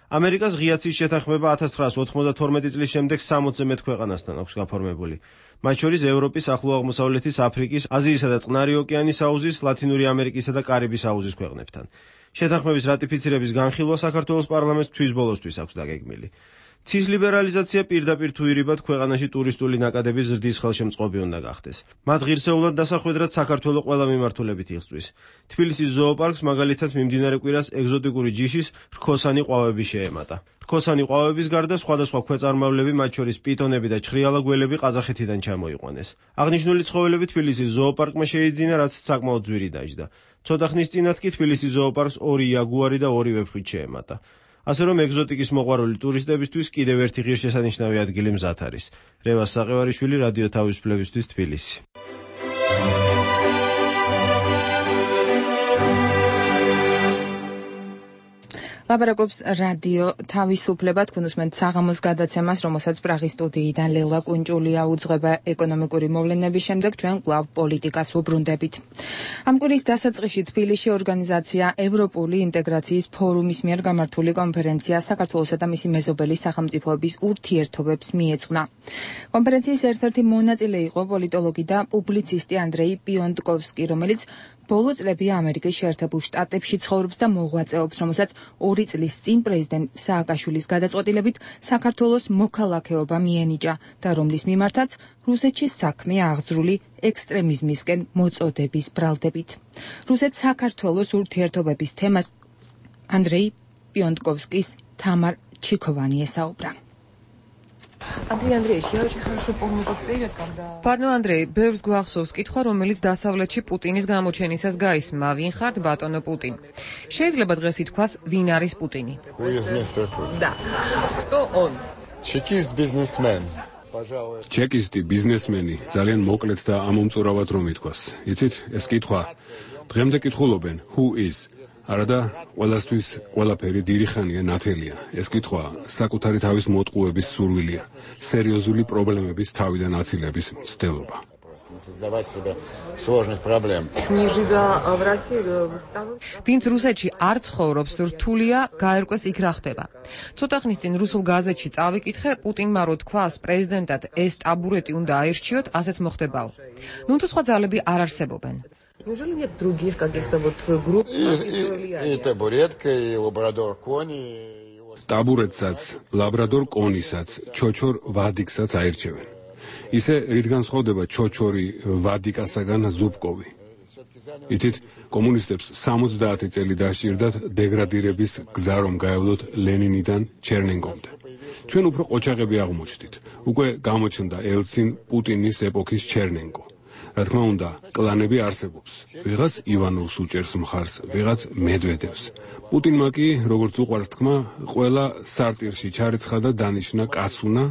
Speaker 15: ამერიკას ღიაცის შეთანხმება 1992 წლის შემდეგ 60-ზე მეტ ქვეყანასთან აქვს გაფორმებული. მათ შორის ევროპის, ახლო აღმოსავლეთის, აფრიკის, აზიისა და წყნარი ოკეანის აუზის, ლათინური ამერიკისა და კარიბის აუზის ქვეყნებთან. შეთანხმების რატიფიცირების განხილვა საქართველოს პარლამენტს თვის ბოლოსთვის აქვს დაგეგმილი. ცის ლიბერალიზაცია პირდაპირ თუ ირიბად ქვეყანაში ტურისტული ნაკადების ზრდის ხელშემწყობი უნდა გახდეს. მათ ღირსეულად დასახვედრად საქართველოს ყველა მიმართულებით იღწვის. თბილისის ზოოპარკს მაგალითად მიმდინარე კვირას ეგზოტიკური ჯიშის რქოსანი ყვავები შეემატა. რქოსანი ყვავების გარდა სხვადასხვა ქვეწარმავლები, მათ შორის პიტონები და ჩხრიალა გველები ყაზახეთიდან ჩამოიყვანეს. აღნიშნული ცხოველები თბილისის ზოოპარკმა შეიძინა, რაც საკმაოდ ძვირი დაჯდა. ცოტა ხნის წინათ კი თბილისის ზოოპარკს 2 იაგუარი და 2 ვეფხვით შეემატა. ასე რომ ეგზოტიკის მოყვარული ტურისტებისთვის კიდევ ერთი ღირსშესანიშნავი ადგილი მზად არის. რევას საყევარიშვილი, რადიო თავისუფლებისთვის, თბილისი.
Speaker 1: ლაპარაკობს რადიო თავისუფლება, თქვენ უსმენთ საღამოს გადაცემას, რომელსაც პრაღის სტუდიიდან ლელა კუნჭულია უძღვება ეკონომიკური მოვლენების შემდეგ ჩვენ კვლავ პოლიტიკას ვუბრუნდებით. ამ კვირის დასაწყისში თბილისში ორგანიზაცია ევროპული ინტეგრაციის ფორუმის მიერ გამართული კონფერენცია საქართველოსა და მისი მეზობელი სახელმწიფოების ურთიერთობებს მიეძღვნა. კონფერენციის ერთ-ერთი მონაწილე იყო პოლიტოლოგი და პუბლიცისტი ანდრეი პიონტკოვსკი, რომელიც ბოლო წლებია ამერიკის შეერთებულ შტატებში ცხოვრობს და მოღვაწეობს, რომელსაც 2 წლის წინ პრეზიდენტ სააკაშვილის გადაწყვეტილებით საქართველოს მოქალაქეობა მიენიჭა და რომლის მიმართაც რუსეთში საქმე აღძრული ექსტრემიზმისკენ მოწოდების ბრალდებით. რუსეთ-საქართველოს ურთიერთობების თემას ანდრეი პიონტკოვსკის თამარ ჩიქოვანი ესაუბრა.
Speaker 16: Андрей Андреевич, я очень хорошо помню тот период, когда... Пардон, Андрей, ბევრს გვახსოვს კითხვა, რომელიც დასავლეთში პუტინის გამოჩენისას გაისმა. ვინ ხართ ბატონო პუტინ? შეიძლება დღეს ითქვას, ვინ არის პუტინი?
Speaker 17: Who is Mr. Putin?
Speaker 16: Да. Кто он?
Speaker 17: Чекист бизнесмен.
Speaker 5: ჩეკისტი ბიზნესმენი, ძალიან მოკლედ და ამომწურავად რომ ითქვას. იცით, ეს კითხვა დღემდე კითხულობენ, who is? არადა ყველასთვის ყველაფერი დიდი ხანია ნათელია. ეს კითხვა საკუთარი თავის მოტყუების სურვილია, სერიოზული პრობლემების თავიდან აცილების მცდელობა.
Speaker 16: ვინც რუსეთში არ ცხოვრობს, რთულია გაერკვეს იქ რა ხდება. ცოტა ხნის წინ რუსულ გაზეთში წავიკითხე, პუტინმა რო თქვას პრეზიდენტად ეს ტაბურეტი უნდა აირჩიოთ, ასეც მოხდებაო. ნუ თუ სხვა ძალები არ არსებობენ. Неужели нет других каких-то вот групп?
Speaker 17: И табуретка, и лабрадор кони.
Speaker 5: ტაბურეტსაც, ლაბრადორ კონისაც, ჩოჩორ ვადიკსაც აირჩევენ. ისე რით განსხვავდება ჩოჩორი ვადიკასაგან ზუბკოვი. იცით, კომუნისტებს 70 წელი დასჭირდათ დეგრადირების გზა რომ გაევლოთ ლენინიდან ჩერნენკომდე. ჩვენ უფრო ყოჩაღები აღმოჩნდით. უკვე გამოჩნდა ელცინ პუტინის ეპოქის ჩერნენკო. რა თქმა უნდა, კლანები არსებობს. ვიღაც ივანოვს უჭერს მხარს, ვიღაც მედვედევს. პუტინმა კი, როგორც უყვარს თქმა, ყველა სარტირში ჩარეცხა და დანიშნა კაცუნა,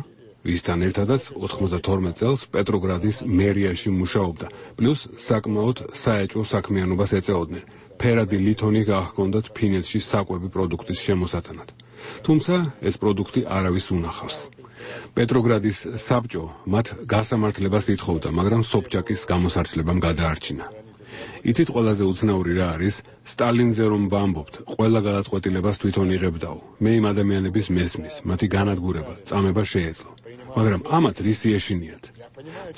Speaker 5: ვისთან ერთადაც 92 წელს პეტროგრადის მერიაში მუშაობდა, პლუს საკმაოდ საეჭვო საქმიანობას ეწეოდნენ. ფერადი ლითონი გაჰქონდათ ფინეთში საკვები პროდუქტის შემოსატანად. თუმცა ეს პროდუქტი არავის უნახავს. პეტროგრადის საბჭო მათ გასამართლებას ითხოვდა, მაგრამ სობჩაკის გამოსარჩლებამ გადაარჩინა. იცით ყველაზე უცნაური რა არის? სტალინზე რომ ვამბობთ, ყველა გადაწყვეტილებას თვითონ იღებდაო. მე იმ ადამიანების მესმის, მათი განადგურება, წამება შეეძლო. მაგრამ ამათ რისი ეშინიათ?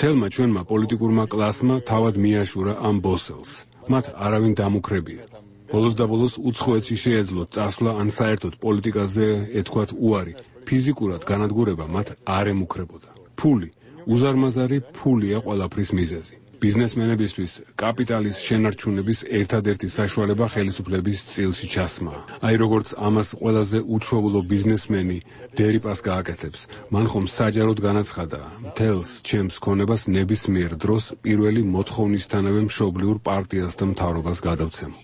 Speaker 5: თელმა ჩვენმა პოლიტიკურმა კლასმა თავად მიაშურა ამ ბოსელს. მათ არავინ დამუქრებია. ბოლოს და ბოლოს უცხოეთში შეეძლო წასვლა ან საერთოდ პოლიტიკაზე ეთქვათ უარი. ფიზიკურად განადგურება მათ არ ემუქრებოდა. ფული, უზარმაზარი ფულია ყველაფრის მიზეზი. ბიზნესმენებისთვის კაპიტალის შენარჩუნების ერთადერთი საშუალება ხელისუფლების წილში ჩასმაა. აი როგორც ამას ყველაზე უჩვეულო ბიზნესმენი დერიპას გააკეთებს, მან ხომ საჯაროდ განაცხადა, მთელს ჩემს ქონებას ნებისმიერ დროს პირველი მოთხოვნისთანავე მშობლიურ პარტიას და მთავრობას გადავცემო.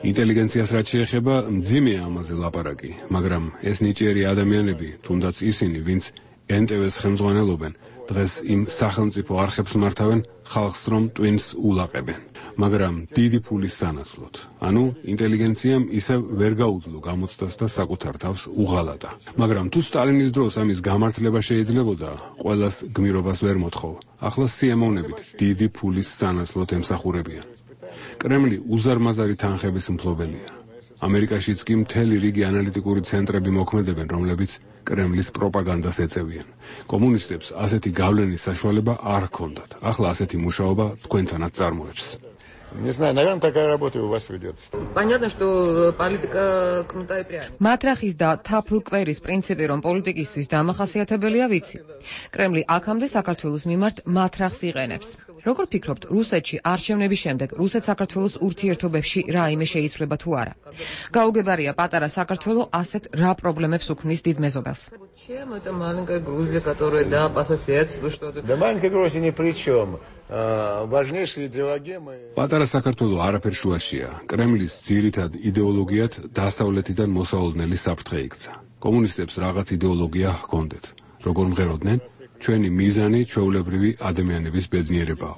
Speaker 5: ინტელიგენციას რაც შეეხება, მძიმეა ამაზე ლაპარაკი, მაგრამ ეს ნიჭიერი ადამიანები, თუნდაც ისინი, ვინც NTV-ს ხელმძღვანელობენ, დღეს იმ სახელმწიფო არხებს მართავენ ხალხს რომ ტვინს ულაყებენ, მაგრამ დიდი ფულის სანაცვლოდ. ანუ ინტელიგენციამ ისევ ვერ გაუძლო გამოცდას და საკუთარ თავს უღალატა. მაგრამ თუ სტალინის დროს ამის გამართლება შეიძლებოდა, ყველას გმირობას ვერ მოთხოვ. ახლა სიამოვნებით დიდი ფულის სანაცვლოდ ემსახურებიან. კრემლი უზარმაზარი თანხების მფლობელია. ამერიკაშიც კი მთელი რიგი ანალიტიკური ცენტრები მოქმედებენ, რომლებიც კრემლის პროპაგანდას ეწევიან. კომუნისტებს ასეთი გავლენის საშუალება არ ჰქონდათ. ახლა ასეთი მუშაობა თქვენთანაც წარმოებს.
Speaker 17: Не знаю, наверное, такая работа у вас ведет.
Speaker 16: Понятно, что политика кнута и пряника. Матрахის და თაფლკვერის პრინციპი, რომ პოლიტიკისთვის დამახასიათებელია, ვიცი. კრემლი აქამდე საქართველოს მიმართ მატრახს იყენებს. როგორ ფიქრობთ, რუსეთში არჩევნების შემდეგ რუსეთ-საქართველოს ურთიერთობებში რაიმე შეიცვლება თუ არა? გაუგებარია, პატარა საქართველო ასეთ რა პრობლემებს უქმნის დიდ მეზობელს. Чем это маленькая Грузия, которая да по соседству что-то.
Speaker 17: Да маленькая Грузия ни при чем. Важнейшие идеологемы.
Speaker 5: პატარა საქართველო არაფერ შუაშია. კრემლის ძირითად იდეოლოგიად დასავლეთიდან მოსავალნელი საფრთხე იქცა. კომუნისტებს რაღაც იდეოლოგია ჰქონდეთ. როგორ მღეროდნენ? ჩვენი მიზანი ჩვეულებრივი ადამიანების ბედნიერებაა.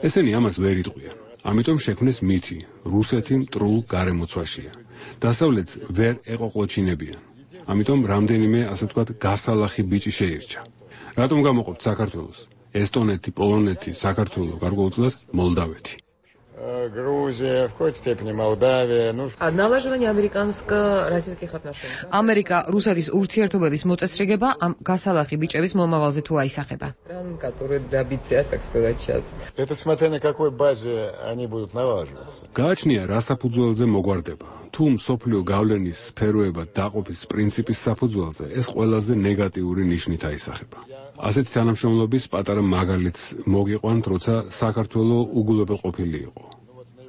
Speaker 5: ესენი ამას ვერ იტყვიან. ამიტომ შექმნეს მითი, რუსეთი მტრულ გარემოცვაშია. დასავლეთს ვერ ეყოყლოჩინებიან. ამიტომ რამდენიმე, ასე ვთქვათ, გასალახი ბიჭი შეირჩა. რატომ გამოყოფთ საქართველოს? ესტონეთი, პოლონეთი, საქართველო, გარკვეულწილად მოლდავეთი.
Speaker 17: Грузия, в какой-то степени Молдавия.
Speaker 16: Налаживание американско-российских отношений. Америка რუსეთის ურთიერთობების მოწესრიგება ამ გასალახი ბიჭების მომავალზე თუ აისახება.
Speaker 17: Которые добиться, так сказать, сейчас. Это смотря на какой базе они будут налаживаться.
Speaker 5: გააჩნია რა საფუძველზე მოგვარდება. თუ მსოფლიო გავლენის სფეროებად დაყოფის პრინციპის საფუძველზე, ეს ყველაზე ნეგატიური ნიშნით აისახება. ასეთი თანამშრომლობის პატარა მაგალითს მოგიყვანთ, როცა საქართველო უგულებელყოფილი იყო.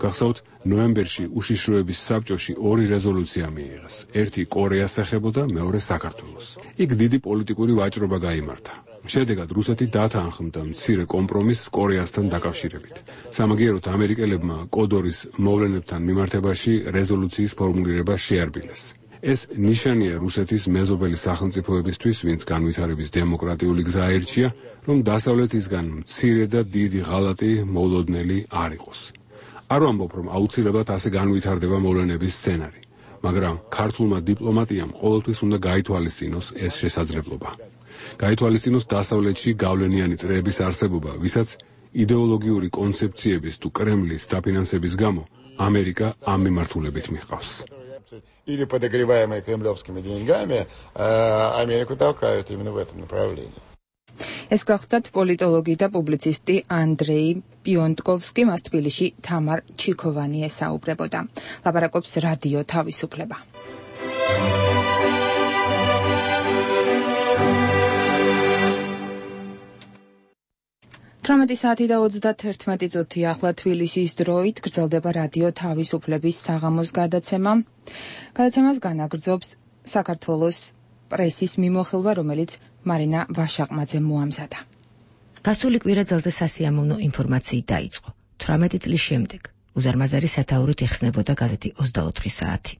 Speaker 5: გახსოვთ, ნოემბერში უშიშროების საბჭოში 2 რეზოლუცია მიიღეს. ერთი კორეას ეხებოდა, მეორე საქართველოს. იქ დიდი პოლიტიკური ვაჭრობა გაიმართა. შედეგად რუსეთი დათანხმდა მცირე კომპრომისს კორეასთან დაკავშირებით. სამაგიეროდ ამერიკელებმა კოდორის მოვლენებთან მიმართებაში რეზოლუციის ფორმულირება შეარბილეს. ეს ნიშანია რუსეთის მეზობელი სახელმწიფოებისთვის, ვინც განვითარების დემოკრატიული გზა აირჩია, რომ დასავლეთისგან მცირე და დიდი ღალატი მოულოდნელი არ იყოს. არ ვამბობ, რომ აუცილებლად ასე განვითარდება მოვლენების სცენარი, მაგრამ ქართულმა დიპლომატიამ ყოველთვის უნდა გაითვალისწინოს ეს შესაძლებლობა. გაითვალისწინოს დასავლეთში გავლენიანი წრეების არსებობა, ვისაც იდეოლოგიური კონცეფციების თუ კრემლის დაფინანსების გამო ამერიკა ამ მიმართულებით მიჰყავს.
Speaker 17: Или подогреваемые кремлевскими деньгами, Америку толкают именно в этом направлении.
Speaker 1: ეს გახლდათ პოლიტოლოგი და პუბლიცისტი ანდრეი პიონტკოვსკი, მას თბილისში თამარ ჩიქოვანი ესაუბრებოდა. ლაპარაკობს რადიო თავისუფლება. 18 საათი და 31 წუთი ახლა თბილისის დროით გრძელდება რადიო თავისუფლების საღამოს გადაცემა. გადაცემას განაგრძობს საქართველოს პრესის მიმოხილვა, რომელიც მარინა ვაშაყმაძე მოამზადა.
Speaker 18: გასული კვირა ძალზე სასიამოვნო ინფორმაციით დაიწყო. 18 წლის შემდეგ უზარმაზარი სათაურით იხსნებოდა გაზეთი 24 საათი.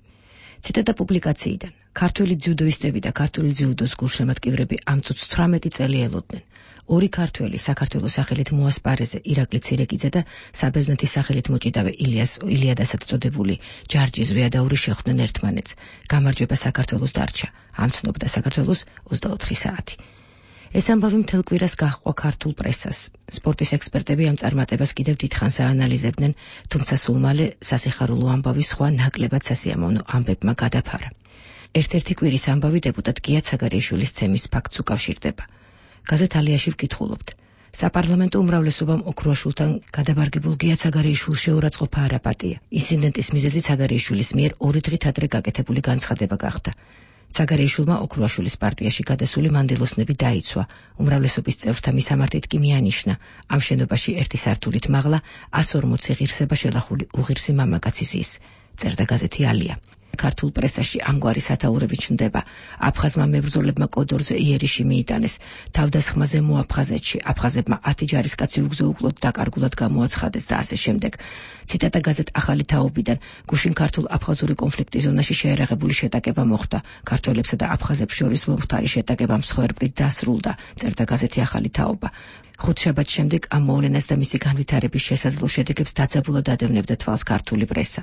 Speaker 18: ციტატა პუბლიკაციიდან. ქართველი ძიუდოისტები და ქართული ძიუდოს გულშემატკივრები ამ წუთს 18 წელი ელოდნენ. 2 ქართველი საქართველოს სახელით მოასპარეზე ირაკლი ცირეკიძე და საბერძნეთის სახელით მოჭიდავე ილიადასად წოდებული ჯარჯი ზვიადაური შეხვდნენ ერთმანეთს. გამარჯვება საქართველოს დარჩა. ამცნობდა საქართველოს 24 საათი. ეს ამბავი მთელ კვირას გაჰყვა ქართულ პრესას. სპორტის ექსპერტები ამ წარმატებას კიდევ დიდხანს აანალიზებდნენ, თუმცა სულ მალე სასიხარულო ამბავის სხვა ნაკლებად სასიამოვნო ამბებმა გადაფარა. ერთ-ერთი კვირის ამბავი დეპუტატ გია ცაგარიაშვილის ცემის ფაქტს უკავშირდება. გაზეთ ალიაში ვკითხულობთ. საპარლამენტო უმრავლესობამ ოქროაშვილთან გადაბარგებულ გია ცაგარიაშვილს შეურაცხყოფა არაპატია. ინციდენტის მიზეზი ცაგარიაშვილის მიერ 2 დღით ადრე გაკეთებული განცხადება გახდა. ცაგარიაშვილმა ოქროაშვილის პარტიაში გადასული მანდილოსნები დაიცვა. უმრავლესობის წევრთა მისამართით კი მიანიშნა. ამ შენობაში ერთი სართულით მაღლა 140 ღირსება შელახული უღირსი მამაკაცის ის. წერდა გაზეთი ალია. ქართულ პრესაში ამგვარი სათაურები ჩნდება. აფხაზმა მებრძოლებმა კოდორზე იერიში მიიტანეს. თავდასხმაზე მოაფხაზეთში აფხაზებმა 10 ჯარისკაცი უგზო-უკლოდ დაკარგულად გამოაცხადეს და ასე შემდეგ. ციტატა გაზეთ ახალი თაობიდან. გუშინ ქართულ-აფხაზური კონფლიქტის ზონაში შეერაღებული შეტაკება მოხდა. ქართველებსა და აფხაზებს შორის მომხდარი შეტაკება მსხვერპლით დასრულდა. წერდა გაზეთი ახალი თაობა. ხუთშაბათს შემდეგ ამ მოვლენას და მისი განვითარების შესაძლო შედეგებს დაძაბულად ადევნებდა თვალს ქართული პრესა.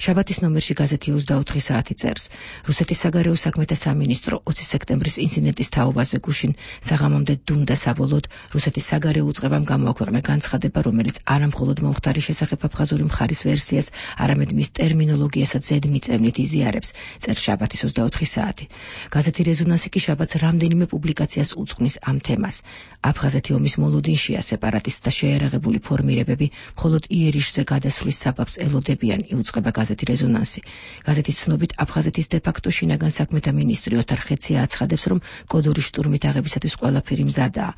Speaker 18: შაბათის ნომერში გაზეთი 24 საათი წერს. რუსეთის საგარეო საქმეთა სამინისტრო 20 სექტემბრის ინციდენტის თაობაზე გუშინ საღამომდე დუმდა საბოლოოდ რუსეთის საგარეო უწყებამ გამოაქვეყნა განცხადება, რომელიც არამხოლოდ მომხდარი შესახებ აფხაზური მხარის ვერსიას, არამედ მის ტერმინოლოგიასაც ზედმიწევნით იზიარებს, წერს შაბათის 24 საათი. გაზეთი რეზონანსი კი შაბათს რამდენიმე პუბლიკაციას უძღვნის ამ თემას. აფხაზეთი ომის მოლოდინშია, სეპარატისტთა შეერაღებული ფორმირებები მხოლოდ იერიშზე გადასვლის საბაბს ელოდებიან, იუწყება გაზეთი რეზონანსი. გაზეთის ცნობით აფხაზეთის დე-ფაქტო შინაგან საქმეთა მინისტრი ოთარ ხეცია აცხადებს, რომ კოდორის შტურმით აღებისათვის ყველაფერი მზადაა.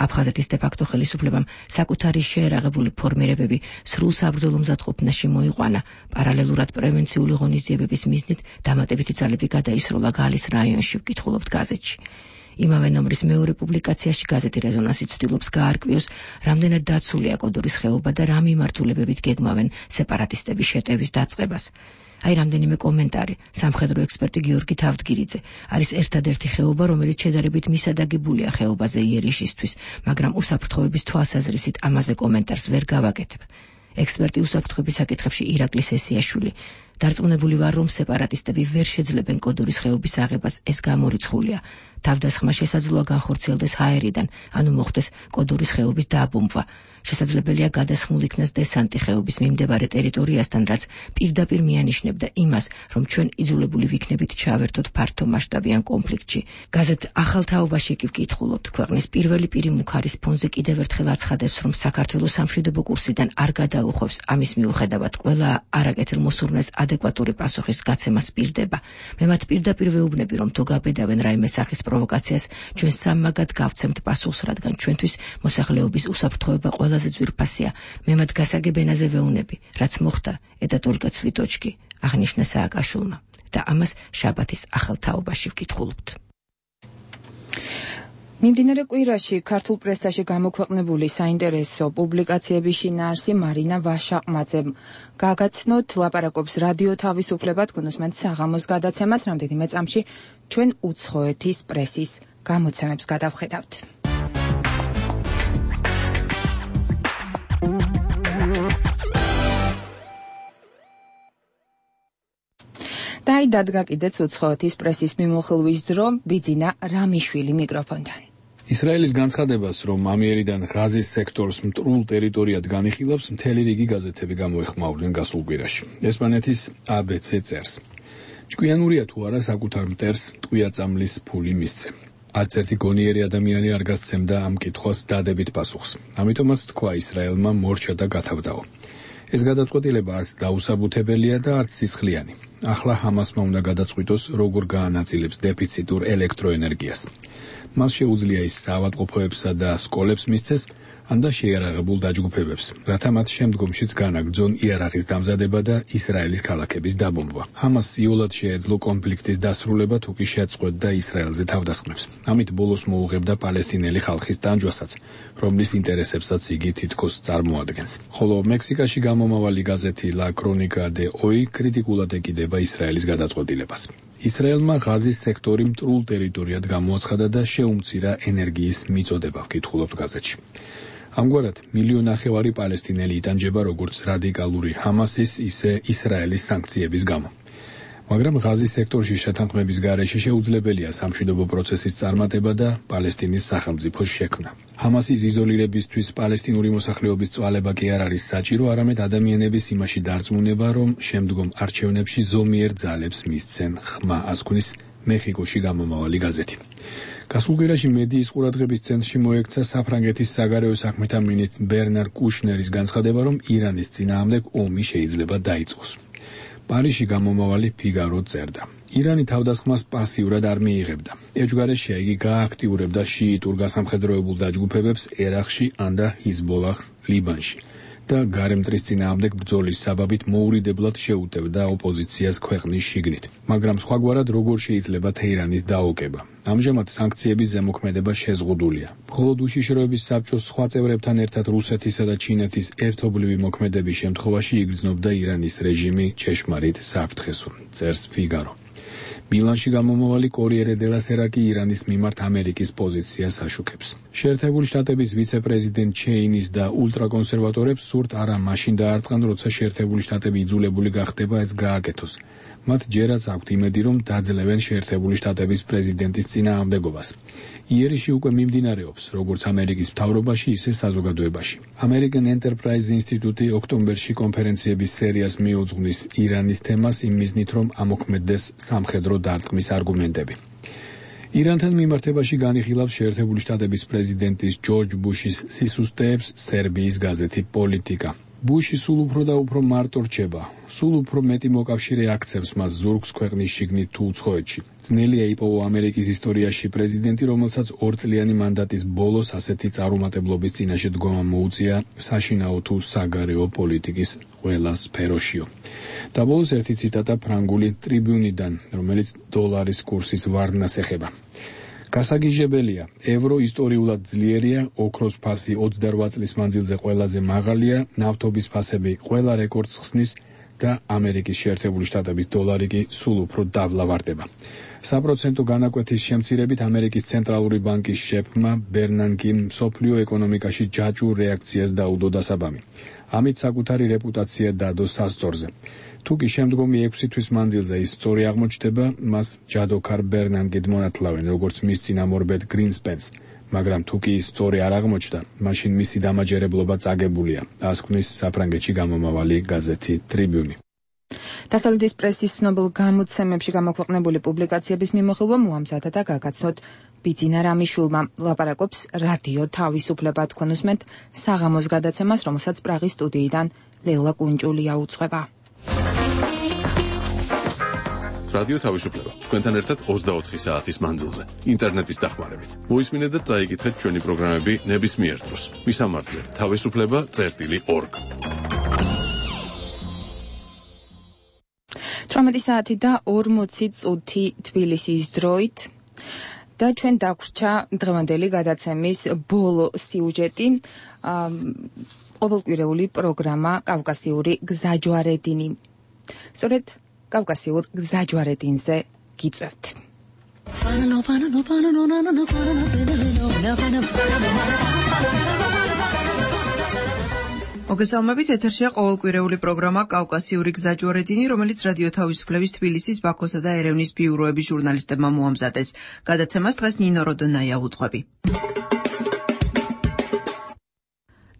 Speaker 18: აფხაზეთის დე-ფაქტო ხელისუფლებამ საკუთარი შეერაღებული ფორმირებები სრულ საბრძოლო მზადყოფნაში მოიყვანა. პარალელურად პრევენციული ღონისძიებების მიზნით დამატებითი ძალები გადაისროლა გალის რაიონში, ვკითხულობთ გაზეთში. იმავე ნომრის მეორე პუბლიკაციაში გაზეთი რეზონანსი ცდილობს გაარკვიოს, რამდენად დაცულია კოდორის ხეობა და რა მიმართულებებით გეგმავენ სეპარატისტების შეტევის დაწყებას. აი რამდენიმე კომენტარი. სამხედრო ექსპერტი გიორგი თავდგირიძე. არის ერთადერთი ხეობა, რომელიც შედარებით მისადაგებულია ხეობაზე იერიშისთვის, მაგრამ უსაფრთხოების თვალსაზრისით ამაზე კომენტარს ვერ გავაკეთებ. ექსპერტი უსაფრთხოების საკითხებში ირაკლი სესიაშვილი. დარწმუნებული ვარ, რომ სეპარატისტები ვერ შეძლებენ კოდურის ხეობის აღებას, ეს გამორიცხულია. თავდასხმა შესაძლოა განხორციელდეს ჰაერიდან, ანუ მოხდეს კოდურის ხეობის დაბომბვა. შესაძლებელია გადასხმულ იქნას დესანტი ხეობის მიმდებარე ტერიტორიასთან, რაც პირდაპირ მიანიშნებდა იმას, რომ ჩვენ იძულებული ვიქნებით ჩავერთოთ ფართომასშტაბიან კონფლიქტში. გაზეთ ახალ თაობაში კი ვკითხულობთ, ქვეყნის პირველი პირი მუქარის ფონზე კიდევ ერთხელ აცხადებს, რომ საქართველოს სამშვიდობო კურსიდან არ გადაუხვევს. ამის მიუხედავად ყველა არაკეთილ მოსურნეს ადეკვატური პასუხის გაცემა სპირდება. მე მათ პირდაპირ ვეუბნები, რომ თუ გაბედავენ რაიმე სახის პროვოკაციას, ჩვენ სამმაგად გავცემთ პასუხს, რადგან ჩვენთვის მოსახლეობის უსაფრთხოება ყველაზე ძვირფასია. მე მათ გასაგებ ენაზე ვეუბნები, რაც მოხდა ეტა только цветочки, აღნიშნა სააკაშვილმა და ამას შაბათის ახალ თაობაში ვკითხულობთ.
Speaker 1: მიმდინარე კვირაში ქართულ პრესაში გამოქვეყნებული საინტერესო პუბლიკაციების შინაარსი მარინა ვაშაყმაძემ გაგაცნოთ, ლაპარაკობს რადიო თავისუფლება, გონოსმენთ საღამოს გადაცემას. რამდენიმე წამში ჩვენ უცხოეთის პრესის გამოცემებს გადავხედავთ. და დადგა კიდეც უცხოეთის პრესის მიმოხილვის დრო, ბიძინა რამიშვილი მიკროფონთან.
Speaker 19: ისრაელის განცხადებას, რომ ამიერიდან ღაზის სექტორს მტრულ ტერიტორიად განიხილავს, მთელი რიგი გაზეთები გამოეხმაურდნენ გასულ კვირაში. ესპანეთის ABC წერს: ჭკვიანურია თუ არა საკუთარ მტერს ტყვია-წამლის ფული მისცე. არც ერთი გონიერი ადამიანი არ გასცემდა ამ კითხვას დადებით პასუხს. ამიტომაც თქვა ისრაელმა მორჩა და გათავდაო. ეს გადაწყვეტილება არც დაუსაბუთებელია და არც სისხლიანი. ახლა ჰამასმა უნდა გადაწყვიტოს, როგორ გაანაწილებს დეფიციტურ ელექტროენერგიას. მას შეუძლია ის საავადმყოფოებსა და სკოლებს მისცეს, ან და შეიარაღებულ დაჯგუფებებს, რათა მათ შემდგომშიც განაგრძონ იარაღის დამზადება და ისრაელის ქალაქების დაბომბვა. ჰამასს იოლად შეეძლო კონფლიქტის დასრულება, თუ კი შეწყვეტდა ისრაელზე თავდასხმებს. ამით ბოლოს მოუღებდა პალესტინელი ხალხის ტანჯვასაც, რომლის ინტერესებსაც იგი თითქოს წარმოადგენს. ხოლო მექსიკაში გამომავალი გაზეთი La Crónica de Hoy კრიტიკულად ეკიდება ისრაელის გადაწყვეტილებას. ისრაელმა ღაზის სექტორი მტრულ ტერიტორიად გამოაცხადა და შეუმცირა ენერგიის მიწოდება, ვკითხულობთ გაზეთში. ამგვარად, 1,5 მილიონი პალესტინელი იტანჯება როგორც რადიკალური ჰამასის, ისე ისრაელის სანქციების გამო. მაგრამ ღაზის სექტორში შეთანხმების გარეშე შეუძლებელია სამშვიდობო პროცესის წარმატება და პალესტინის სახელმწიფოს შექმნა. ჰამასის იზოლირებისთვის პალესტინური მოსახლეობის წვალება კი არ არის საჭირო, არამედ ადამიანების იმაში დარწმუნება, რომ შემდგომ არჩევნებში ზომიერ ძალებს მისცენ ხმა, ასკვნის მეხიკოში გამომავალი გაზეთი. გასულ კვირაში მედიის ყურადღების ცენტრში მოექცა საფრანგეთის საგარეო საქმეთა მინისტრ ბერნარ კუშნერის განცხადება, რომ ირანის წინააღმდეგ ომი შეიძლება დაიწყოს. პარიზში გამომავალი ფიგარო წერდა: ირანი თავდასხმას პასიურად არ მიიღებდა. ეჯგარეშია იგი გააქტიურებდა შიიტურ გასამხედროებულ დაჯგუფებებს ერაყში ან და ჰიზბოლაჰს ლიბანში და გარემტრის წინააღმდეგ ბრძოლის საბაბით მოურიდებლად შეუტევდა ოპოზიციას ქვეყნის შიგნით. მაგრამ სხვაგვარად როგორ შეიძლება თეირანის დაოკება? ამჟამად სანქციების ზემოქმედება შეზღუდულია. მხოლოდ უშიშროების საბჭოს სხვა წევრებთან ერთად რუსეთისა და ჩინეთის ერთობლივი მოქმედების შემთხვევაში იგრძნობდა ირანის რეჟიმი ჩეშმარიტ საფრთხესო, წერს ფიგარო. მილანში გამომავალი კორიერე დე ლა სერა კი ირანის მიმართ ამერიკის პოზიციას აშუქებს. შეერთებული შტატების ვიცე-პრეზიდენტ ჩეინის და ულტრაკონსერვატორებს სურთ არა მაშინ დაარტყან, როცა შეერთებული შტატები იძულებული გახდება ეს გააკეთოს. მათ ჯერაც აქვთ იმედი, რომ დაძლევენ შეერთებული შტატების პრეზიდენტის წინააღმდეგობას. იერიში უკვე მიმდინარეობს, როგორც ამერიკის მთავრობაში, ისე საზოგადოებაში. American Enterprise ინსტიტუტი ოქტომბერში კონფერენციების სერიას მიუძღვნის ირანის თემას იმ მიზნით, რომ ამოქმედდეს სამხედრო დარტყმის არგუმენტები. ირანთან მიმართებაში განიხილავს შეერთებული შტატების პრეზიდენტის ჯორჯ ბუშის სისუსტეებს სერბიის გაზეთი პოლიტიკა. ბუში სულ უფრო და უფრო მარტო რჩება, სულ უფრო მეტი მოკავშირე აქცევს მას ზურგს ქვეყნის შიგნით თუ უცხოეთში. ძნელია იპოვო ამერიკის ისტორიაში პრეზიდენტი, რომელსაც 2 წლიანი მანდატის ბოლოს ასეთი წარუმატებლობის წინაშე დგომა მოუწია საშინაო თუ საგარეო პოლიტიკის ყველა სფეროშიო. და ბოლოს ერთი ციტატა ფრანგული ტრიბუნიდან, რომელიც დოლარის კურსის ვარდნას ეხება. გასაგიჟებელია, ევრო ისტორიულად ძლიერია, ოქროს ფასი 28 წლის მანძილზე ყველაზე მაღალია, ნავთობის ფასები ყველა რეკორდს ხსნის და ამერიკის შეერთებული შტატების დოლარი კი სულ უფრო დაბლავარდება. საპროცენტო განაკვეთის შემცირებით ამერიკის ცენტრალური ბანკის შეფმა ბერნანკიმ მსოფლიო ეკონომიკაში ჯაჭვურ რეაქციას დაუდო დასაბამი. ამით საკუთარი რეპუტაცია დადო სასწორზე. თუ კი შემდგომი 6 თვის მანძილზე ის სწორი აღმოჩნდება, მას ჯადოქარ ბერნანგედ მონათლავენ, როგორც მის წინამორბედ გრინსპენს. მაგრამ თუ კი ის სწორი არ აღმოჩნდა, მაშინ მისი დამაჯერებლობა წაგებულია, ასკვნის საფრანგეთში გამომავალი გაზეთი ტრიბიუნი.
Speaker 1: დასავლეთის პრესის ცნობილ გამოცემებში გამოქვეყნებული პუბლიკაციების მიმოხილვა მოამზადა და გაგაცნოთ ბიძინა რამიშულმა. ლაპარაკობს რადიო თავისუფლება, თქვენ უსმენთ საღამოს გადაცემას, რომელსაც პრაღის სტუდიიდან ლელა კუნჭულია უძღვება.
Speaker 14: რადიო თავისუფლება თქვენთან ერთად 24 საათის მანძილზე ინტერნეტის დახმარებით. მოისმინეთ და წაიკითხეთ ჩვენი პროგრამები ნებისმიერ დროს. მისამართზე თავისუფლება.org.
Speaker 1: 18 საათი და 40 წუთი თბილისის დროით და ჩვენ დაგვრჩა დღევანდელი გადაცემის ბოლო სიუჟეტი, ყოველკვირეული პროგრამა კავკასიური გზაჯვარედინი. სწორედ კავკასიურ გზაჯვარედინზე გიწევთ.
Speaker 20: მოგესალმებით, ეთერშია ყოველკვირეული პროგრამა კავკასიური გზაჯვარედინი, რომელიც რადიო თავისუფლების თბილისის, ბაქოსა და ერევნის ბიუროების ჟურნალისტებმა მოამზადეს. გადაცემას დღეს ნინო როდონაია უძღვები.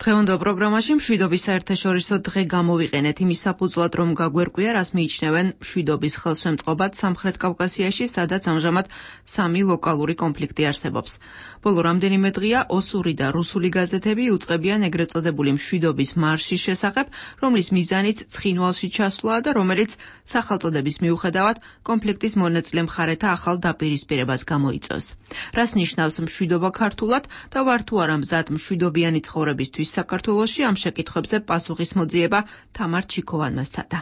Speaker 20: დღევანდელ პროგრამაში მშვიდობის საერთაშორისო დღე გამოვიყენეთ იმის საფუძვლად, რომ გაგვერკვია, რას მიიჩნევენ მშვიდობის ხელშემწყობად სამხრეთ კავკასიაში, სადაც ამჟამად 3 ლოკალური კონფლიქტი არსებობს. ბოლო რამდენიმე დღეა ოსური და რუსული გაზეთები იუწყებიან ეგრეთ წოდებული მშვიდობის მარშის შესახებ, რომლის მიზანიც ცხინვალში ჩასვლაა და რომელიც სახელწოდების მიუხედავად კონფლიქტის მონაწილე მხარეთა ახალ დაპირისპირებას გამოიწვევს. რას ნიშნავს მშვიდობა ქართულად და ვარ თუ არა მზად მშვიდობიანი ცხოვრებისთვის საქართველოში, ამ შეკითხვებზე პასუხის მოძიება თამარ ჩიქოვანმა სცადა.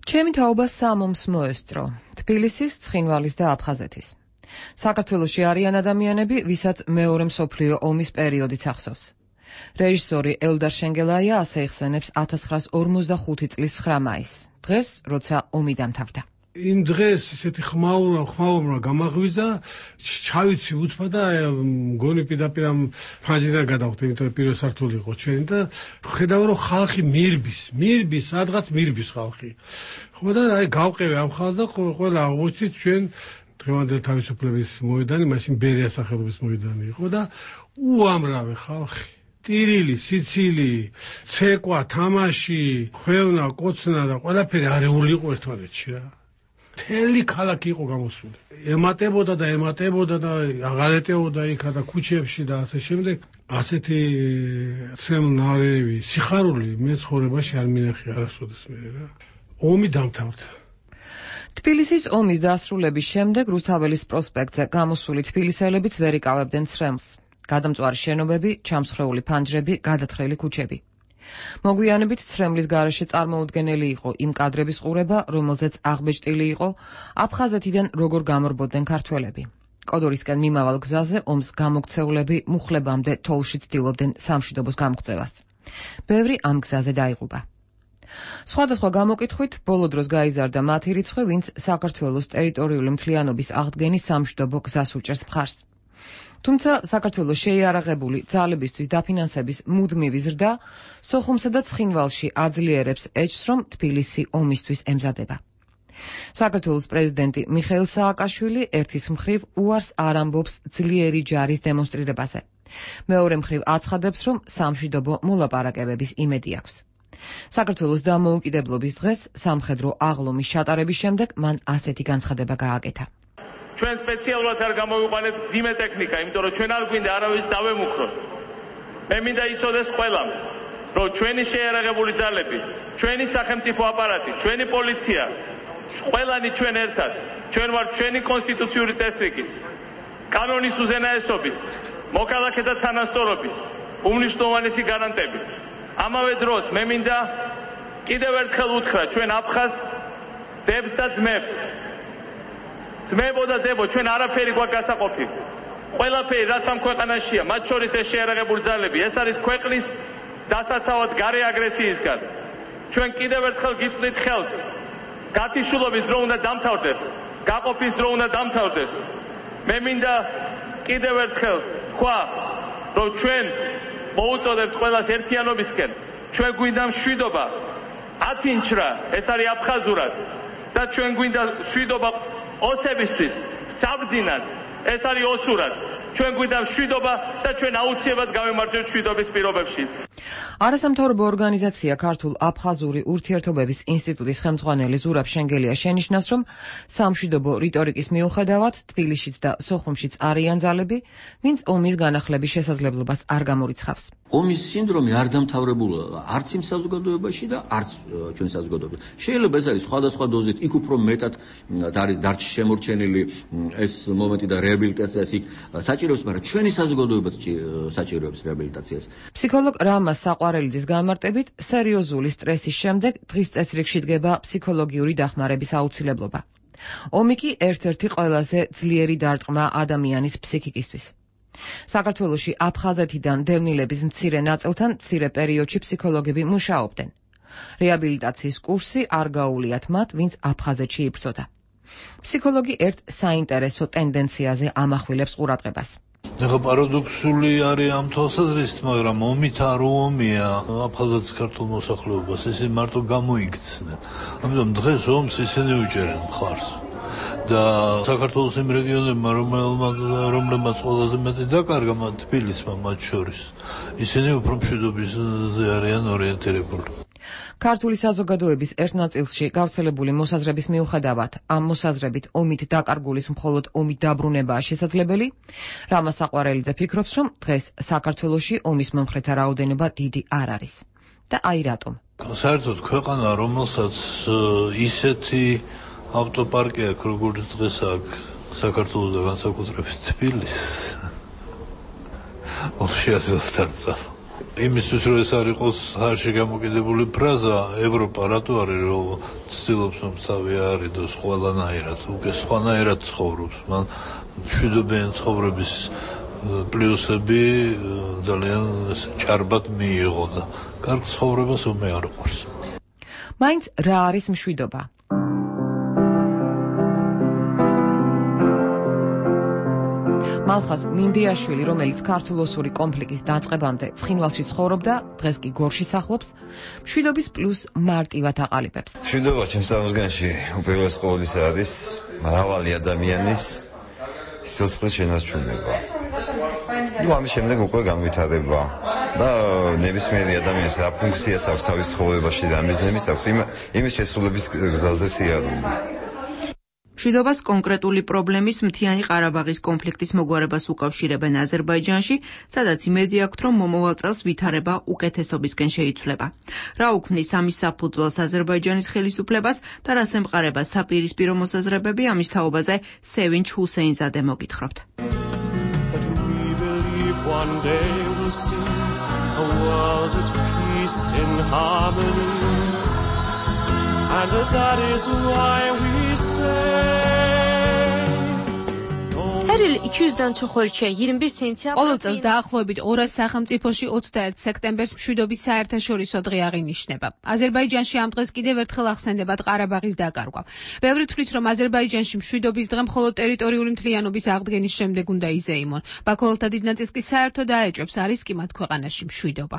Speaker 16: ჩემი თაობა სამომს მოესწრო, თბილისის, ცხინვალის და აფხაზეთის. საქართველოში არიან ადამიანები, ვისაც მეორე მსოფლიო ომის პერიოდიც ახსოვს. რეჟისორი ელდარ შენგელაია ასე იხსენებს 1945 წლის 9 მაისს, დღეს, როცა ომი დამთავრდა.
Speaker 21: იმ დღეს ისეთი ხმაურმა გამაღვიძა, ჩავიცი უცბა და მგონი პირდაპირ ამ ფრანჯიდან გადავხდი, იმიტომ პირველ სართული იყო ჩვენი და ხედავ რომ ხალხი მირბის, სადღაც მირბის ხალხი. ხო და აი გავყევი ამ ხალხს და ყველა აღმოჩნდით ჩვენ დღევანდელი თავისუფლების მოედანი, მაშინ ბერია სახელობის მოედანი იყო და უამრავი ხალხი. ტირილი, სიცილი, ცეკვა, თამაში, ხვევნა, კოცნა და ყველაფერი არეული იყო ერთმანეთში რა. მთელი ქალაქი იყო გამოსული. ემატებოდა და აღარ ეტეოდა იქა და ქუჩებში და ასე შემდეგ. ასეთი ცემნარევი, სიხარული მე ცხოვრებაში არ მინახე არასოდეს მე რა. ომი დამთავრდა.
Speaker 16: თბილისის ომის დასრულების შემდეგ რუსთაველის პროსპექტზე გამოსული თბილისელებიც ვერ იკავებდნენ ცრემლს. გადამწვარი შენობები, ჩამსხვრეული ფანჯრები, გადათხრილი ქუჩები. მოგვიანებით ცრემლის გარეშე წარმოუდგენელი იყო იმ კადრების ყურება, რომელზეც აღბეჭდილი იყო აფხაზეთიდან როგორ გამორბოდნენ ქართველები. კოდორისკენ მიმავალ გზაზე ომს გამოქცეულები მუხლებამდე თოვლში ცდილობდნენ სამშვიდობოს გამღწევას. ბევრი ამ გზაზე დაიღუპა. სხვადასხვა გამოკითხვით ბოლო დროს გაიზარდა მათი რიცხვი, ვინც საქართველოს ტერიტორიული მთლიანობის აღდგენის სამშვიდობო გზას უჭერს მხარს. თუმცა საქართველოს შეიარაღებული ძალებისთვის დაფინანსების მუდმივი ზრდა სოხუმსა და ცხინვალში აძლიერებს ეჭვს, რომ თბილისი ომისთვის ემზადება. საქართველოს პრეზიდენტი მიხეილ სააკაშვილი ერთის მხრივ უარს არ ამბობს ძლიერი ჯარის დემონსტრირებაზე. მეორე მხრივ აცხადებს, რომ სამშვიდობო მოლაპარაკებების იმედი აქვს. საქართველოს დამოუკიდებლობის დღეს სამხედრო აღლომის ჩატარების შემდეგ მან ასეთი განცხადება გააკეთა.
Speaker 22: ჩვენ სპეციალურად არ გამოვიყვანეთ ძიმე ტექნიკა, იმიტომ რომ ჩვენ არ გვინდა არავის დავემუქროთ. მე მინდა იცოდეს ყველამ, რომ ჩვენი შეიარაღებული ძალები, ჩვენი სახელმწიფო აპარატი, ჩვენი პოლიცია, ყველანი ჩვენ ერთად, ჩვენ ვართ ჩვენი კონსტიტუციური წესრიგის, კანონის უზენაესობის, მოქალაქეთა თანასწორობის უმნიშვნელოვანესი გარანტები. ამავე დროს მე მინდა კიდევ ერთხელ უთხრა ჩვენ აფხაზ დებს და ძმებს. ძმებო და დებო, ჩვენ არაფერი გვაქვს გასაყოფი. ყველაფერი რაც ამ ქვეყანაშია, მათ შორის ეს შეიარაღებული ძალები, ეს არის ქვეყნის დასაცავად გარე აგრესიისგან. ჩვენ კიდევ ერთხელ გიწვდით ხელს. გათიშულობის დრო უნდა დამთავრდეს, გაყოფის დრო უნდა დამთავრდეს. მე მინდა კიდევ ერთხელ თქვა, რომ ჩვენ მოუწოდებთ ყველას ერთიანობისკენ ჩვენ გვინდა მშვიდობა 10 ინჩრა, ეს არის აფხაზურად და ჩვენ გვინდა მშვიდობა ოსებისთვის საბრძინად, ეს არის ოსურად. ჩვენ გვინდა მშვიდობა და ჩვენ აუცილებლად გავემარჯვებთ მშვიდობის პირობებში.
Speaker 16: არასამთავრობო ორგანიზაცია ქართულ აფხაზური ურთიერთობების ინსტიტუტის ხელმძღვანელი ზურაბ შენგელია შენიშნავს, რომ სამშვიდობო რიტორიკის მიუხედავად თბილისშიც და სოხუმშიც არიან ძალები, ვინც ომის განახლების შესაძლებლობას არ გამორიცხავს.
Speaker 2: ომის სინდრომი არ დამთავრებულა არც იმ საზოგადოებაში და არც ჩვენ საზოგადოებაში. შეიძლება ეს არის სხვადასხვა დოზით, იქ უფრო მეტად არის დარჩი შემორჩენილი ეს მომენტი და რეაბილიტაციას იქ საჭიროებს, მაგრამ ჩვენი საზოგადოებაც საჭიროებს რეაბილიტაციას.
Speaker 16: ფსიქოლოგ რამაზ საყვარელიძის განმარტებით, სერიოზული სტრესის შემდეგ დღის წესრიგში დგება ფსიქოლოგიური დახმარების აუცილებლობა. ომი კი ერთ-ერთი ყველაზე ძლიერი დარტყმა ადამიანის ფსიქიკისთვის. საქართველოში აფხაზეთიდან დევნილების მცირე ნაწილთან მცირე პერიოდში ფსიქოლოგები მუშაობდნენ. რეაბილიტაციის კურსი არ გაუვლიათ მათ, ვინც აფხაზეთში იბრძოდა. ფსიქოლოგი ერთ საინტერესო ტენდენციაზე ამახვილებს ყურადღებას.
Speaker 3: ეხლა პარადოქსული არის ამ თვალსაზრისით, მაგრამ ომით არ ომია აფხაზეთის ქართულ მოსახლეობას, ისინი მარტო გამოიქცნენ. ამიტომ დღეს ომს ისინი უჭერენ მხარს. და საქართველოს იმ რეგიონებმა, რომლებმაც ყველაზე მეტი დაკარგა თბილისმა მათ შორის, ისინი უფრო მშვიდობაზე არიან ორიენტირებული.
Speaker 16: ქართული საზოგადოების ერთ ნაწილში გავრცელებული მოსაზრების მიუხედავად, ამ მოსაზრებით ომით დაკარგულის მხოლოდ ომით დაბრუნებაა შესაძლებელი, რამაზ საყვარელიძე ფიქრობს, რომ დღეს საქართველოში ომის მომხრეთა რაოდენობა დიდი არ არის. და აი რატომ?
Speaker 3: საერთოდ ქვეყანა, რომელსაც ისეთი ავტოპარკი აქვს, როგორც დღეს აქვს საქართველოს და განსაკუთრებით თბილისს, ომში ასეულად არ წავა. იმისთვის რომ ეს არ იყოს ხარში გამოკიდებული ფრაზა, ევროპა რატო არის რომ ცდილობს რომ თავი არიდოს ყველანაირად, უკვე სხვანაირად ცხოვრობს, მან მშვიდობიანი ცხოვრების პლუსები ძალიან ჭარბად მიიღო და კარგ ცხოვრებას ომი არ უყვარს.
Speaker 16: მაინც რა არის მშვიდობა? მალხაზ მინდიაშვილი, რომელიც ქართულ-ოსური კონფლიქტის დაწყებამდე ცხინვალში ცხოვრობდა, დღეს კი გორში სახლობს, მშვიდობის პლუს მარტივად აყალიბებს.
Speaker 23: მშვიდობა ჩემს წარმოსგანში უპირველეს ყოვლისა არის მრავალი ადამიანის სიცოცხლის შენარჩუნება. ამის შემდეგ უკვე განვითარება და ნებისმიერი ადამიანის რა ფუნქციას აქვს თავის ცხოვრებაში და მიზნების აქვს იმის შესრულების გზაზე სიარული.
Speaker 20: მშვიდობას კონკრეტული პრობლემის მთიანი ყარაბაღის კონფლიქტის მოგვარებას უკავშირებენ აზერბაიჯანში, სადაც იმედი აქვთ, რომ მომავალ წელს ვითარება უკეთესობისკენ შეიცვლება. რა უქმნის ამის საფუძველს აზერბაიჯანის ხელისუფლებას და რას ემყარება საპირისპირო მოსაზრებები, ამის თაობაზე სევინჩ ჰუსეინზადე მოგითხრობთ. And that is why we
Speaker 24: ყოველ წელს დაახლოებით 200 სახელმწიფოში 21 სექტემბერს მშვიდობის საერთაშორისო დღე აღინიშნება. აზერბაიჯანში ამ დღეს კიდევ ერთხელ ახსენდებათ ყარაბაღის დაკარგვა. ბევრი თვლის, რომ აზერბაიჯანში მშვიდობის დღე მხოლოდ ტერიტორიული მთლიანობის აღდგენის შემდეგ უნდა იზეიმონ. ბაქოელთა დიდ ნაწილს კი საერთოდ აეჭვებს, არის კი მათ ქვეყანაში მშვიდობა.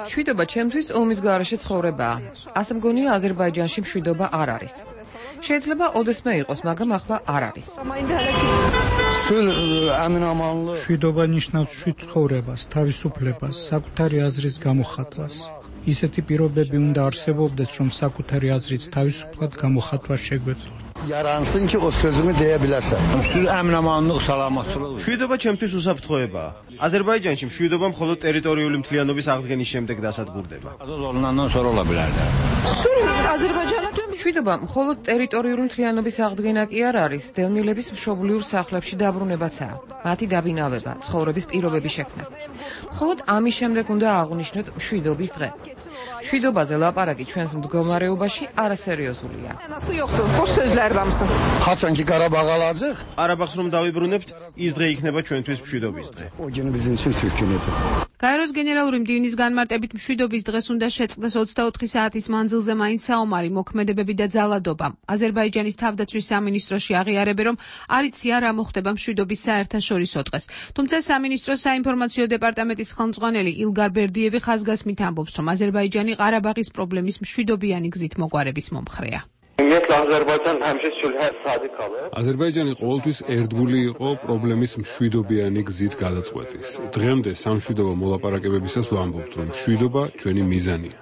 Speaker 16: მშვიდობა ჩემთვის ომის გარეშე ცხოვრებაა. ასე მგონია აზერბაიჯანში მშვიდობა არ არის. შეიძლება ოდესმე იყოს, მაგრამ ახლა არ არის.
Speaker 25: მშვიდობა ნიშნავს მშვიდ ცხოვრებას, თავისუფლებას, საკუთარი აზრის გამოხატვას. ისეთი პირობები უნდა არსებობდეს, რომ საკუთარი აზრის თავისუფლად გამოხატვა შეგვეძლოთ.
Speaker 26: Yaransın ki o sözünü deyə biləsən.
Speaker 15: Əmin-amanlıq, salamatçılıq. მშვიდობა ჩემთვის უსაფრთხოებაა. აზერბაიჯანში მშვიდობა მხოლოდ ტერიტორიული მთლიანობის აღდგენის შემდეგ დასადგურდება.
Speaker 16: მშვიდობა მხოლოდ ტერიტორიული მთლიანობის აღდგენა კი არ არის, დევნილების მშობლიურ სახლებში დაბრუნებაცაა. მათი დაბინავება, ცხოვრების პირობების შექმნა. მხოლოდ ამის შემდეგ უნდა აღვნიშნოთ მშვიდობის დღე. მშვიდობაზე ლაპარაკი ჩვენს მდგომარეობაში არასერიოზულია.
Speaker 26: Haçan ki Qarabağ alacaq?
Speaker 15: ყარაბაღს რომ დავიბრუნებთ, ის დღე იქნება ჩვენთვის მშვიდობის დღე.
Speaker 24: გაეროს გენერალური მდივნის განმარტებით მშვიდობის დღეს უნდა შეწყდეს 24 საათის მანძილზე მაინც საომარი მოქმედებები და ძალადობა. აზერბაიჯანის თავდაცვის სამინისტროში აღიარებენ, რომ არ იციან რა მოხდება მშვიდობის საერთაშორისო დღეს. თუმცა სამინისტროს საინფორმაციო დეპარტამენტის ხელმძღვანელი ილგარ ბერდიევი ხაზგასმით ამბობს, რომ აზერბაიჯანი ყარაბაღის პრობლემის მშვიდობიანი გზით მოგვარების მომხრეა.
Speaker 5: აზერბაიჯანი ყოველთვის ერთგული იყო პრობლემის მშვიდობიანი გზით გადაწყვეტის. დღემდე სამშვიდობო მოლაპარაკებებისას ვამბობთ, რომ მშვიდობა ჩვენი მიზანია.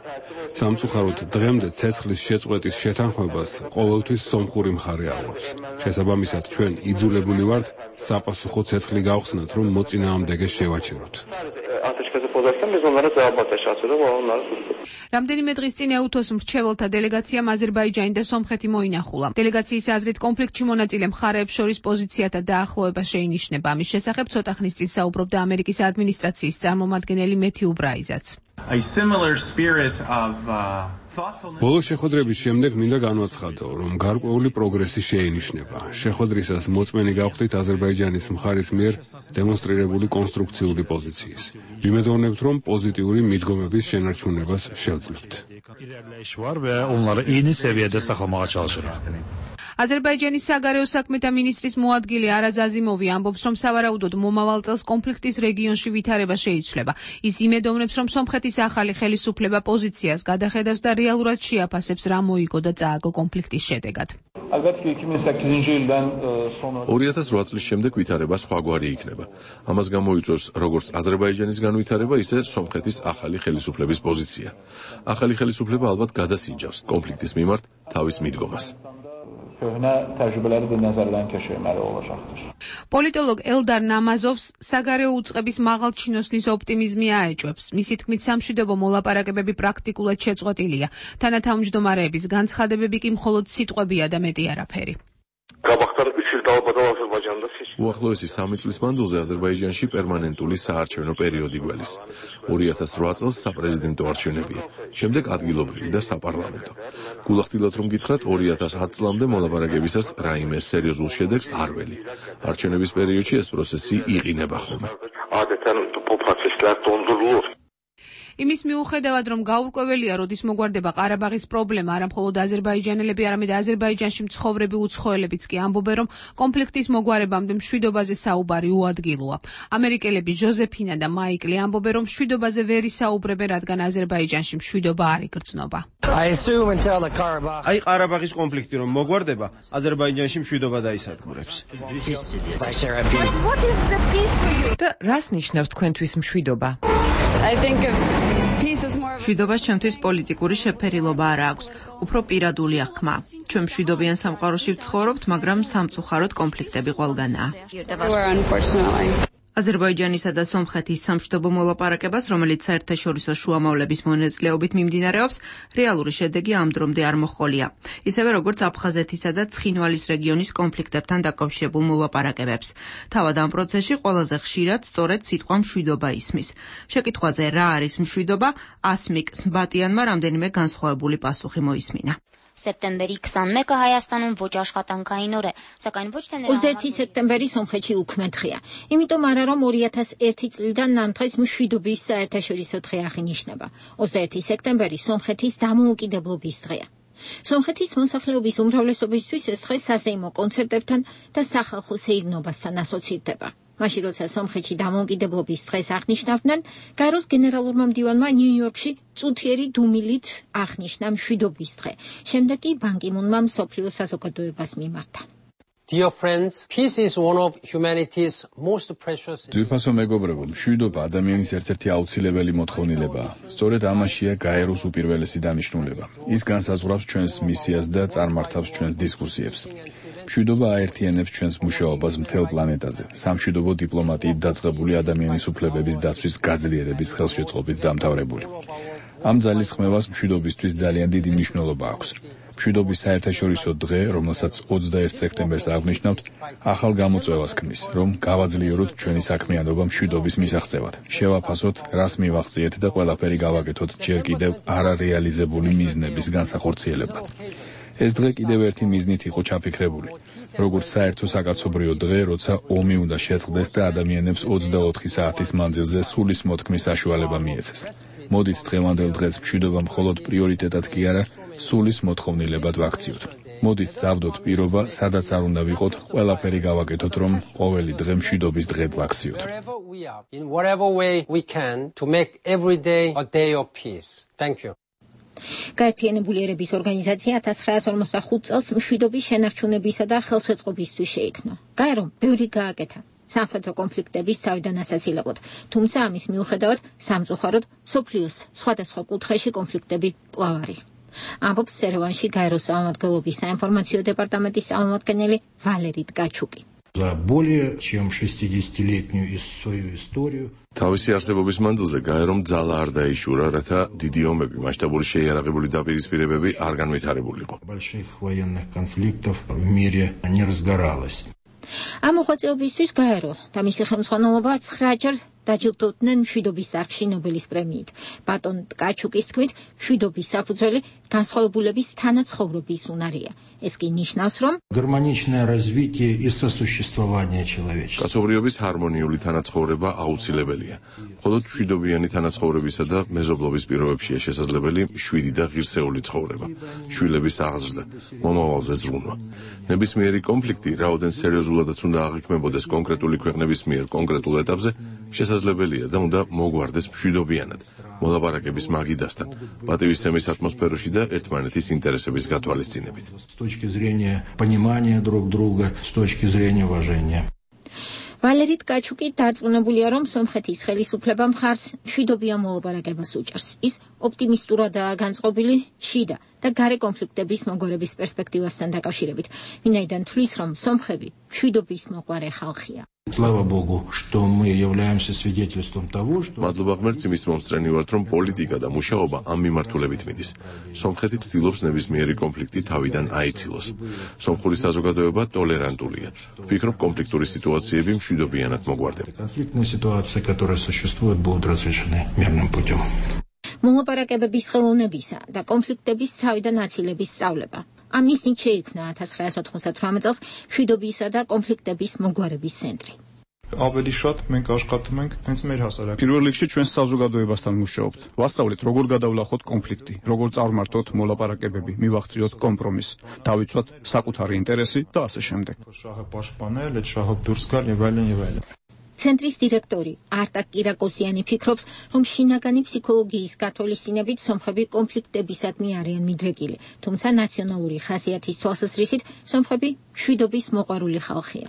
Speaker 5: სამწუხაროდ დღემდე ცეცხლის შეწყვეტის შეთანხმებას ყოველთვის სომხური მხარე აღწევს. შესაბამისად, ჩვენ იძულებული ვართ საპასუხო ცეცხლი გავხსნათ, რომ მოწინააღმდეგეს შევაჩეროთ.
Speaker 24: რამდენიმე დღის წინ ეუთოს მრჩეველთა დელეგაციამ აზერბაიჯანი და სომხეთი მოინახულა. დელეგაციის აზრით კონფლიქტში მონაწილე მხარეებს შორის პოზიციათა დაახლოება შეინიშნება. ამის შესახებ ცოტა ხნის წინ საუბრობდა ამერიკის ადმინისტრაციის წარმომადგენელი მეთიუ ბრაიზაც.
Speaker 5: ბოლო შეხვედრების შემდეგ მინდა განვაცხადო, რომ გარკვეული პროგრესი შეინიშნება. შეხვედრისას მოწმენი გავხდით აზერბაიჯანის მხარის მიერ დემონსტრირებული კონსტრუქციული პოზიციის. ვიმედოვნებთ, რომ პოზიტიური მიდგომების შენარჩუნებას შევძლებთ.
Speaker 24: აზერბაიჯანის საგარეო საქმეთა მინისტრის მოადგილე არაზ აზიმოვი ამბობს, რომ სავარაუდოდ მომავალ წელს კონფლიქტის რეგიონში ვითარება შეიცვლება. ის იმედოვნებს, რომ სომხეთის ახალი ხელისუფლება პოზიციას გადახედავს და რეალურად შეაფასებს რა მოიგო და წააგო კონფლიქტის შედეგად.
Speaker 14: 2008 წლის შემდეგ ვითარება სხვაგვარი იქნება. ამას გამოიწვევს როგორც აზერბაიჯანის განვითარება, ისე სომხეთის ახალი ხელისუფლების პოზიცია. ახალი ხელისუფლება ალბათ გადასინჯავს კონფლიქტის მიმართ თავის მიდგომას.
Speaker 24: პოლიტოლოგ ელდარ ნამაზოვს საგარეო უწყების მაღალჩინოსნის ოპტიმიზმი აეჭვებს. მისი თქმით, სამშვიდობო მოლაპარაკებები პრაქტიკულად შეწყვეტილია. თანათავმჯდომარეების განცხადებები კი მხოლოდ სიტყვებია და მეტი არაფერი.
Speaker 14: უახლოესი 3 წლის მანძილზე აზერბაიჯანში პერმანენტული საარჩევნო პერიოდი გველის. 2008 წელს საპრეზიდენტო არჩევნებია, შემდეგ ადგილობრივი და საპარლამენტო. გულახდილად რომ გითხრათ, 2010 წლამდე მოლაპარაკებისას რაიმე სერიოზულ შედეგს არ ველი. არჩევნების პერიოდში ეს პროცესი იყინება ხოლმე.
Speaker 24: იმის მიუხედავად, რომ გაურკვეველია, როდის მოგვარდება ყარაბაღის პრობლემა, არა მხოლოდ აზერბაიჯანელები, არამედ აზერბაიჯანში მცხოვრები უცხოელებიც კი ამბობენ, რომ კონფლიქტის მოგვარებამდე მშვიდობაზე საუბარი უადგილოა. ამერიკელები ჟოზეფინა და მაიკლი ამბობენ, რომ მშვიდობაზე ვერ ისაუბრებენ, რადგან აზერბაიჯანში მშვიდობა არ იგრძნობა.
Speaker 15: აი ყარაბაღის კონფლიქტი რომ მოგვარდება, აზერბაიჯანში მშვიდობა დაისადგურებს.
Speaker 16: და რას ნიშნავს თქვენთვის მშვიდობა?
Speaker 20: მშვიდობას ჩემთვის პოლიტიკური შეფერილობა არ აქვს, უფრო პირადულია ხმა. ჩვენ მშვიდობიან სამყაროში ვცხოვრობთ, მაგრამ სამწუხაროდ კონფლიქტები ყველგანაა. აზერბაიჯანისა და სომხეთის სამშვიდობო მოლაპარაკებას, რომელიც საერთაშორისო შუამავლების მონაწილეობით მიმდინარეობს, რეალური შედეგი ამ დრომდე არ მოჰყოლია. ისევე როგორც აფხაზეთისა და ცხინვალის რეგიონის კონფლიქტებთან დაკავშირებულ მოლაპარაკებებს. თავად ამ პროცესში ყველაზე ხშირად სწორედ სიტყვა მშვიდობა ისმის. შეკითხვაზე რა არის მშვიდობა, ასმիկ სმბატიანმა რამდენიმე განსხვავებული პასუხი მოისმინა.
Speaker 4: Սեպտեմբերի 21-ը Հայաստանում ոչ աշխատանքային օր է, սակայն ոչ թե
Speaker 6: 21 սեպտեմբերի Սոմխեթի ուքմենթխիա։ Იმიტომ არა რომ 2001 წლიდან ამ დღეს მშვიდობის საერთაშორისო დღე აღინიშნება. 21 სექტემბერი Սոմխეთის დამოუკიდებლობის დღეა. Სომხეთის მოსახლეობის უმრავლესობისთვის ეს დღე საზეიმო კონცერტებთან და სახალხო სეირნობასთან ასოცირდება. მაშინ როცა სომხეთში დამოუკიდებლობის დღეს აღნიშნავდნენ, გაეროს გენერალურმა მდივანმა ნიუ-იორკში წუთიერი დუმილით აღნიშნა მშვიდობის დღე. შემდეგ კი ბან კი მუნმა მსოფლიო საზოგადოებას მიმართა.
Speaker 7: Dear friends, peace is one of humanity's most precious.
Speaker 19: ძვირფასო მეგობრებო, მშვიდობა ადამიანის ერთ-ერთი აუცილებელი მოთხოვნილებაა. სწორედ ამაშია გაეროს უპირველესი დანიშნულება. ის განსაზღვრავს ჩვენს მისიას და წარმართავს ჩვენს დისკუსიებს. მშვიდობა აერთიანებს ჩვენს მუშაობას მთელ პლანეტაზე. სამშვიდობო დიპლომატიით დაწყებული ადამიანის უფლებების დაცვის გაძლიერების ხელშეწყობით დამთავრებული. ამ ძალის ხმევას მშვიდობისთვის ძალიან დიდი მნიშვნელობა აქვს. მშვიდობის საერთაშორისო დღე, რომელსაც 21 სექტემბერს აღნიშნავთ, ახალ გამოწვევას ქმნის, რომ გავაძლიეროთ ჩვენი საქმიანობა მშვიდობის მისაღწევად. შევაფასოთ, რას მივაღწიეთ და ყველაფერი გავაკეთოთ ჯერ კიდევ არარეალიზებული მიზნების განსახორციელებლად. ეს დღე კიდევ ერთი მიზნით იყო ჩაფიქრებული. როგორც საერთო საკაცობრიო დღე, როცა ომი უნდა შეწყდეს და ადამიანებს 24 საათის მანძილზე სულის მოთქმის საშუალება მიეცეს. მოდით დღევანდელ დღეს მშვიდობა მხოლოდ პრიორიტეტად კი არა, სულის მოთხოვნილებად ვაქციოთ. მოდით დავდოთ პირობა, სადაც არ უნდა ვიყოთ, ყველაფერი გავაკეთოთ, რომ ყოველი დღე მშვიდობის დღედ ვაქციოთ.
Speaker 7: In whatever way we can to make every day a day of peace. Thank you.
Speaker 6: გაერთიანებული ერების ორგანიზაცია 1945 წელს მშვიდობის შენარჩუნებისა და ხელშეწყობისთვის შეიქმნა. გაერომ ბევრი გააკეთა სამხედრო კონფლიქტების თავიდან ასაცილებლად, თუმცა ამის მიუხედავად სამწუხაროდ მსოფლიოს სხვადასხვა კუთხეში конфликтები კვლავ არის. ამბობს ერევანში გაეროს სამმართველობის საინფორმაციო დეპარტამენტის წარმომადგენელი ვალერი ткачуკი.
Speaker 8: За более чем 60-летнюю свою историю
Speaker 14: თავისი არსებობის მანძილზე გაერომ ძალა არ დაიშურა, რათა დიდი ომები, მასშტაბური შეიარაღებული დაპირისპირებები არ განვითარებულიყო.
Speaker 8: Больших военных конфликтов в мире не разгоралось.
Speaker 6: ამ მოღვაწეობისთვის გაერო და მისი ხელმძღვანელობა 9-ჯერ დაჯილდოვდნენ მშვიდობის დარგში ნობელის პრემიით. ბატონ ткачуკის თქმით, მშვიდობის საფუძველი განსხვავებულების თანაცხოვრების უნარია. ეს კი ნიშნავს, რომ
Speaker 8: гармоничное развитие и сосуществование человечества.
Speaker 14: კაცობრიობის ჰარმონიული თანაცხოვრება აუცილებელია. მხოლოდ მშვიდობიანი თანაცხოვრებისა და მეზობლობის პირობებშია შესაძლებელი მშვიდი და ღირსეული ცხოვრება, შვილების აღზრდა, მომავალზე ზრუნვა. ნებისმიერი კონფლიქტი, რაოდენ სერიოზულადაც უნდა აღიქმებოდეს კონკრეტული ქვეყნების მიერ კონკრეტულ ეტაპზე, შესაძლებელია და უნდა მოგვარდეს მშვიდობიანად, მოლაპარაკების მაგიდასთან, პატივისცემის ატმოსფეროში და ერთმანეთის ინტერესების გათვალისწინებით.
Speaker 8: С точки зрения понимания друг друга, с точки зрения уважения.
Speaker 6: ვალერი ткачуკი დარწმუნებულია, რომ სომხეთის ხელისუფლება მხარს მშვიდობიან მოლაპარაკებას უჭერს. ის ოპტიმისტურადაა განწყობილი შიდა და გარე კონფლიქტების მოგვარების პერსპექტივასთან დაკავშირებით. ვინაიდან თვლის, რომ სომხები მშვიდობის მოყვარე ხალხია.
Speaker 8: Слава Богу, что мы являемся свидетельством того, что
Speaker 14: მადლობა ღმერთს იმის მომსწრენი ვართ, რომ პოლიტიკა და მუშაობა ამ მიმართულებით მიდის. სომხეთი ცდილობს ნებისმიერი კონფლიქტი თავიდან აიცილოს. სომხური საზოგადოება ტოლერანტულია. ვფიქრობ, კონფლიქტური სიტუაციები მშვიდობიანად მოგვარდება.
Speaker 8: конфликтные ситуации, которые существуют, будут разрешены мирным путем.
Speaker 6: მოლაპარაკებების ხელოვნებისა და კონფლიქტების თავიდან აცილების სწავლება. ამ მიზნით შეიქმნა 1998 წელს მშვიდობისა და კონფლიქტების მოგვარების ცენტრი.
Speaker 9: Ավելի շատ մենք աշխատում ենք հենց մեր հասարակության.
Speaker 10: პირველ რიგში ჩვენს საზოგადოებასთან მუშაობთ. ვასწავლეთ, როგორ გადავლახოთ კონფლიქტი, როგორ წარმართოთ მოლაპარაკებები, მივახციოთ კომპრომისს, დავიცვათ საკუთარი ინტერესი და ასე შემდეგ.
Speaker 9: Շահը պաշտպանել, այդ շահով դուրս գալ եւ այլն եւ այլն.
Speaker 6: ცენტრის დირექტორი არტაკ კირაკოსიანი ფიქრობს, რომ შინაგანი ფსიქოლოგიის გათვალისწინებით სომხები კონფლიქტებისადმი არიან მიდრეკილი, თუმცა ნაციონალური ხასიათის თვალსაზრისით სომხები მშვიდობის მოყვარული ხალხია.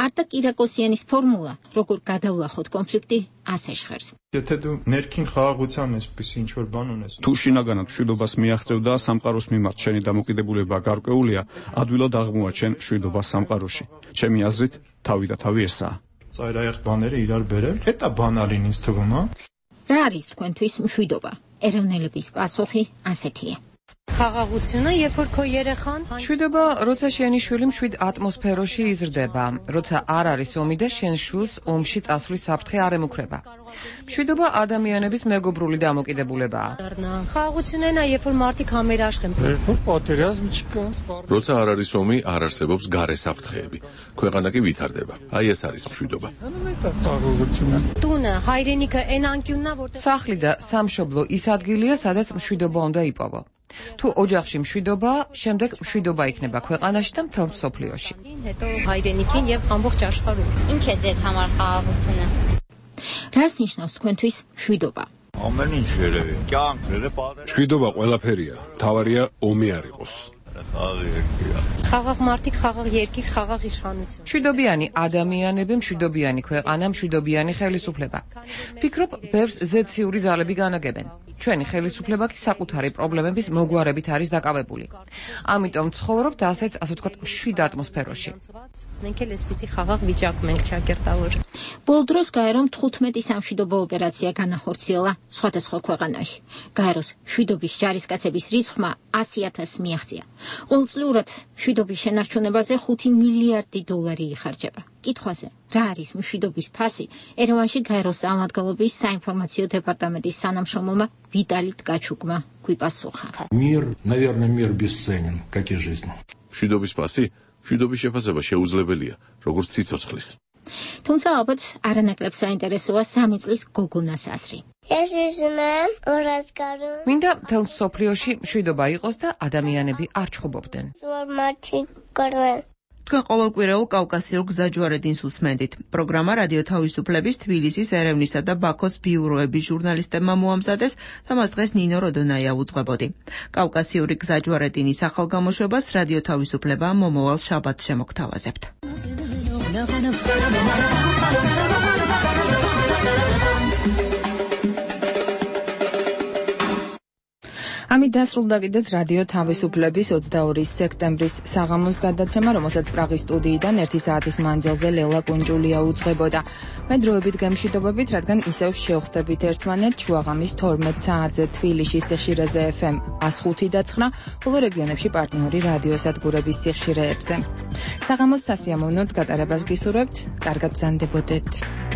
Speaker 6: არტაკ კირაკოსიანის ფორმულა, როგორ გადავლახოთ კონფლიქტი, ასე ჟღერს.
Speaker 9: Եթե դու ներքին խաղաղության այսպես ինչ որ բան ունես.
Speaker 10: თუ შინაგანად მშვიდობას მიაღწევ და სამყაროს მიმართ შენი დამოკიდებულება გარკვეულია, ადვილად აღმოაჩენ მშვიდობას სამყაროში. ჩემი აზრით, თავი და თავი ესაა.
Speaker 9: Ծայրահեղ բաները իրար բերել, հետա բանալին ինձ թվում, հա?
Speaker 6: Რა არის თქვენთვის მშვიდობა? ეროვნელების პასუხი ასეთია.
Speaker 24: ხაღაღությունը, երբ որ քո երեխան
Speaker 16: მშვიდობა, როცა შენი შვილი მშვიდ ატმოსფეროში იზრდება, როცა არ არის ომი და შენ შვილს ომში წასვლის საფრთხე არ ემუქრება. მშვიდობა ადამიანების მეგობრული დამოკიდებულებაა.
Speaker 24: ხაღაღությունն երբ որ մարդիկ համերաշխენ.
Speaker 14: როცა არ არის ომი, არ არსებობს გარე საფრთხეები. ქვეყანა კი ვითარდება. აი ეს არის მშვიდობა.
Speaker 24: ტუნը, հայրենիքը այն անկյունն է, որտեղ
Speaker 16: სახლი და სამშობლო ის ადგილია, სადაც მშვიდობა უნდა იპოვო. თუ ოჯახში მშვიდობა, შემდეგ მშვიდობა იქნება ქვეყანაში და მთელ მსოფლიოში.
Speaker 24: հետո հայրենիքին եւ ամբողջ աշխարհում.
Speaker 4: Ինչ է ձեզ համար խաղաղությունը?
Speaker 6: რას ნიშნავს თქვენთვის მშვიდობა?
Speaker 8: ամեն ինչ երևի. կյանքները
Speaker 5: მშვიდობა ყველაფერია. თავარია ომი არ იყოს.
Speaker 24: խաղաղ մարդիկ, խաղաղ երկիր, խաղաղ իշխանություն.
Speaker 16: მშვიდობიანი ადამიანები, მშვიდობიანი ქვეყანა, მშვიდობიანი ხელისუფლება. ფიქრობ, ბევრს ზეციური ძალები განაგებენ. ჩვენი ხელისუფლება კი საკუთარი პრობლემების მოგვარებით არის დაკავებული. ამიტომ ცხოვრობთ ასეთ, ასე ვთქვათ, მშვიდ ატმოსფეროში.
Speaker 24: մենք էլ ესպისი խաղաղ վիճակում ենք ճակերտավոր.
Speaker 6: ბოლო დროს გაერომ 15 სამშვიდობო ოპერაცია განახორციელა სხვადასხვა ქვეყანაში. გაეროს მშვიდობის ჯარისკაცების რიცხვმა 100,000 მიაღწია. ყოველწლიურად მშვიდობის შენარჩუნებაზე 5 მილიარდი დოლარი იხარჯება. კითხვაზე, რა არის მშვიდობის ფასი, ერევანში გაეროს წარმომადგენლობის საინფორმაციო დეპარტამენტის თანამშრომელმა ვიტალი ткачуკმა გვიპასუხა.
Speaker 8: Мир, наверное, мир бесценен, как и жизнь.
Speaker 14: მშვიდობის პასი? მშვიდობის შეფასება შეუძლებელია, როგორც სიცოცხლის.
Speaker 6: თუმცა ალბათ არანაკლებ საინტერესოა 3 წლის გოგონას აზრი.
Speaker 16: მინდა მთელ მსოფლიოში მშვიდობა იყოს და ადამიანები არ ჩხუბობდნენ.
Speaker 20: თქვენ ყოველკვირეულ კავკასიურ გზაჯვარედინს უსმენდით. პროგრამა რადიო თავისუფლების თბილისის, ერევნისა და ბაქოს ბიუროების ჟურნალისტებმა მოამზადეს და მას დღეს ნინო როდონაია უძღვებოდი. კავკასიური გზაჯვარედინის ახალ გამოშვებას რადიო თავისუფლება მომავალ შაბათს შემოგთავაზებთ.
Speaker 1: ამით დასრულდა კიდეც რადიო თავისუფლების 22 სექტემბრის საღამოს გადაცემა, რომელსაც პრაღის სტუდიიდან 1 საათის მანძილზე ლელა კუნჯულია უძღვებოდა. მე დროებით გემშვიდობებით, რადგან ისევ შევხვდებით ერთმანეთს შუაღამის 12 საათზე თბილისის სიხშირეზე FM 105.9, ხოლო რეგიონებში პარტნიორი რადიოსადგურების სიხშირეებზე. საღამოს სასიამოვნოდ გატარებას გისურვებთ, კარგად ბრძანდებოდეთ.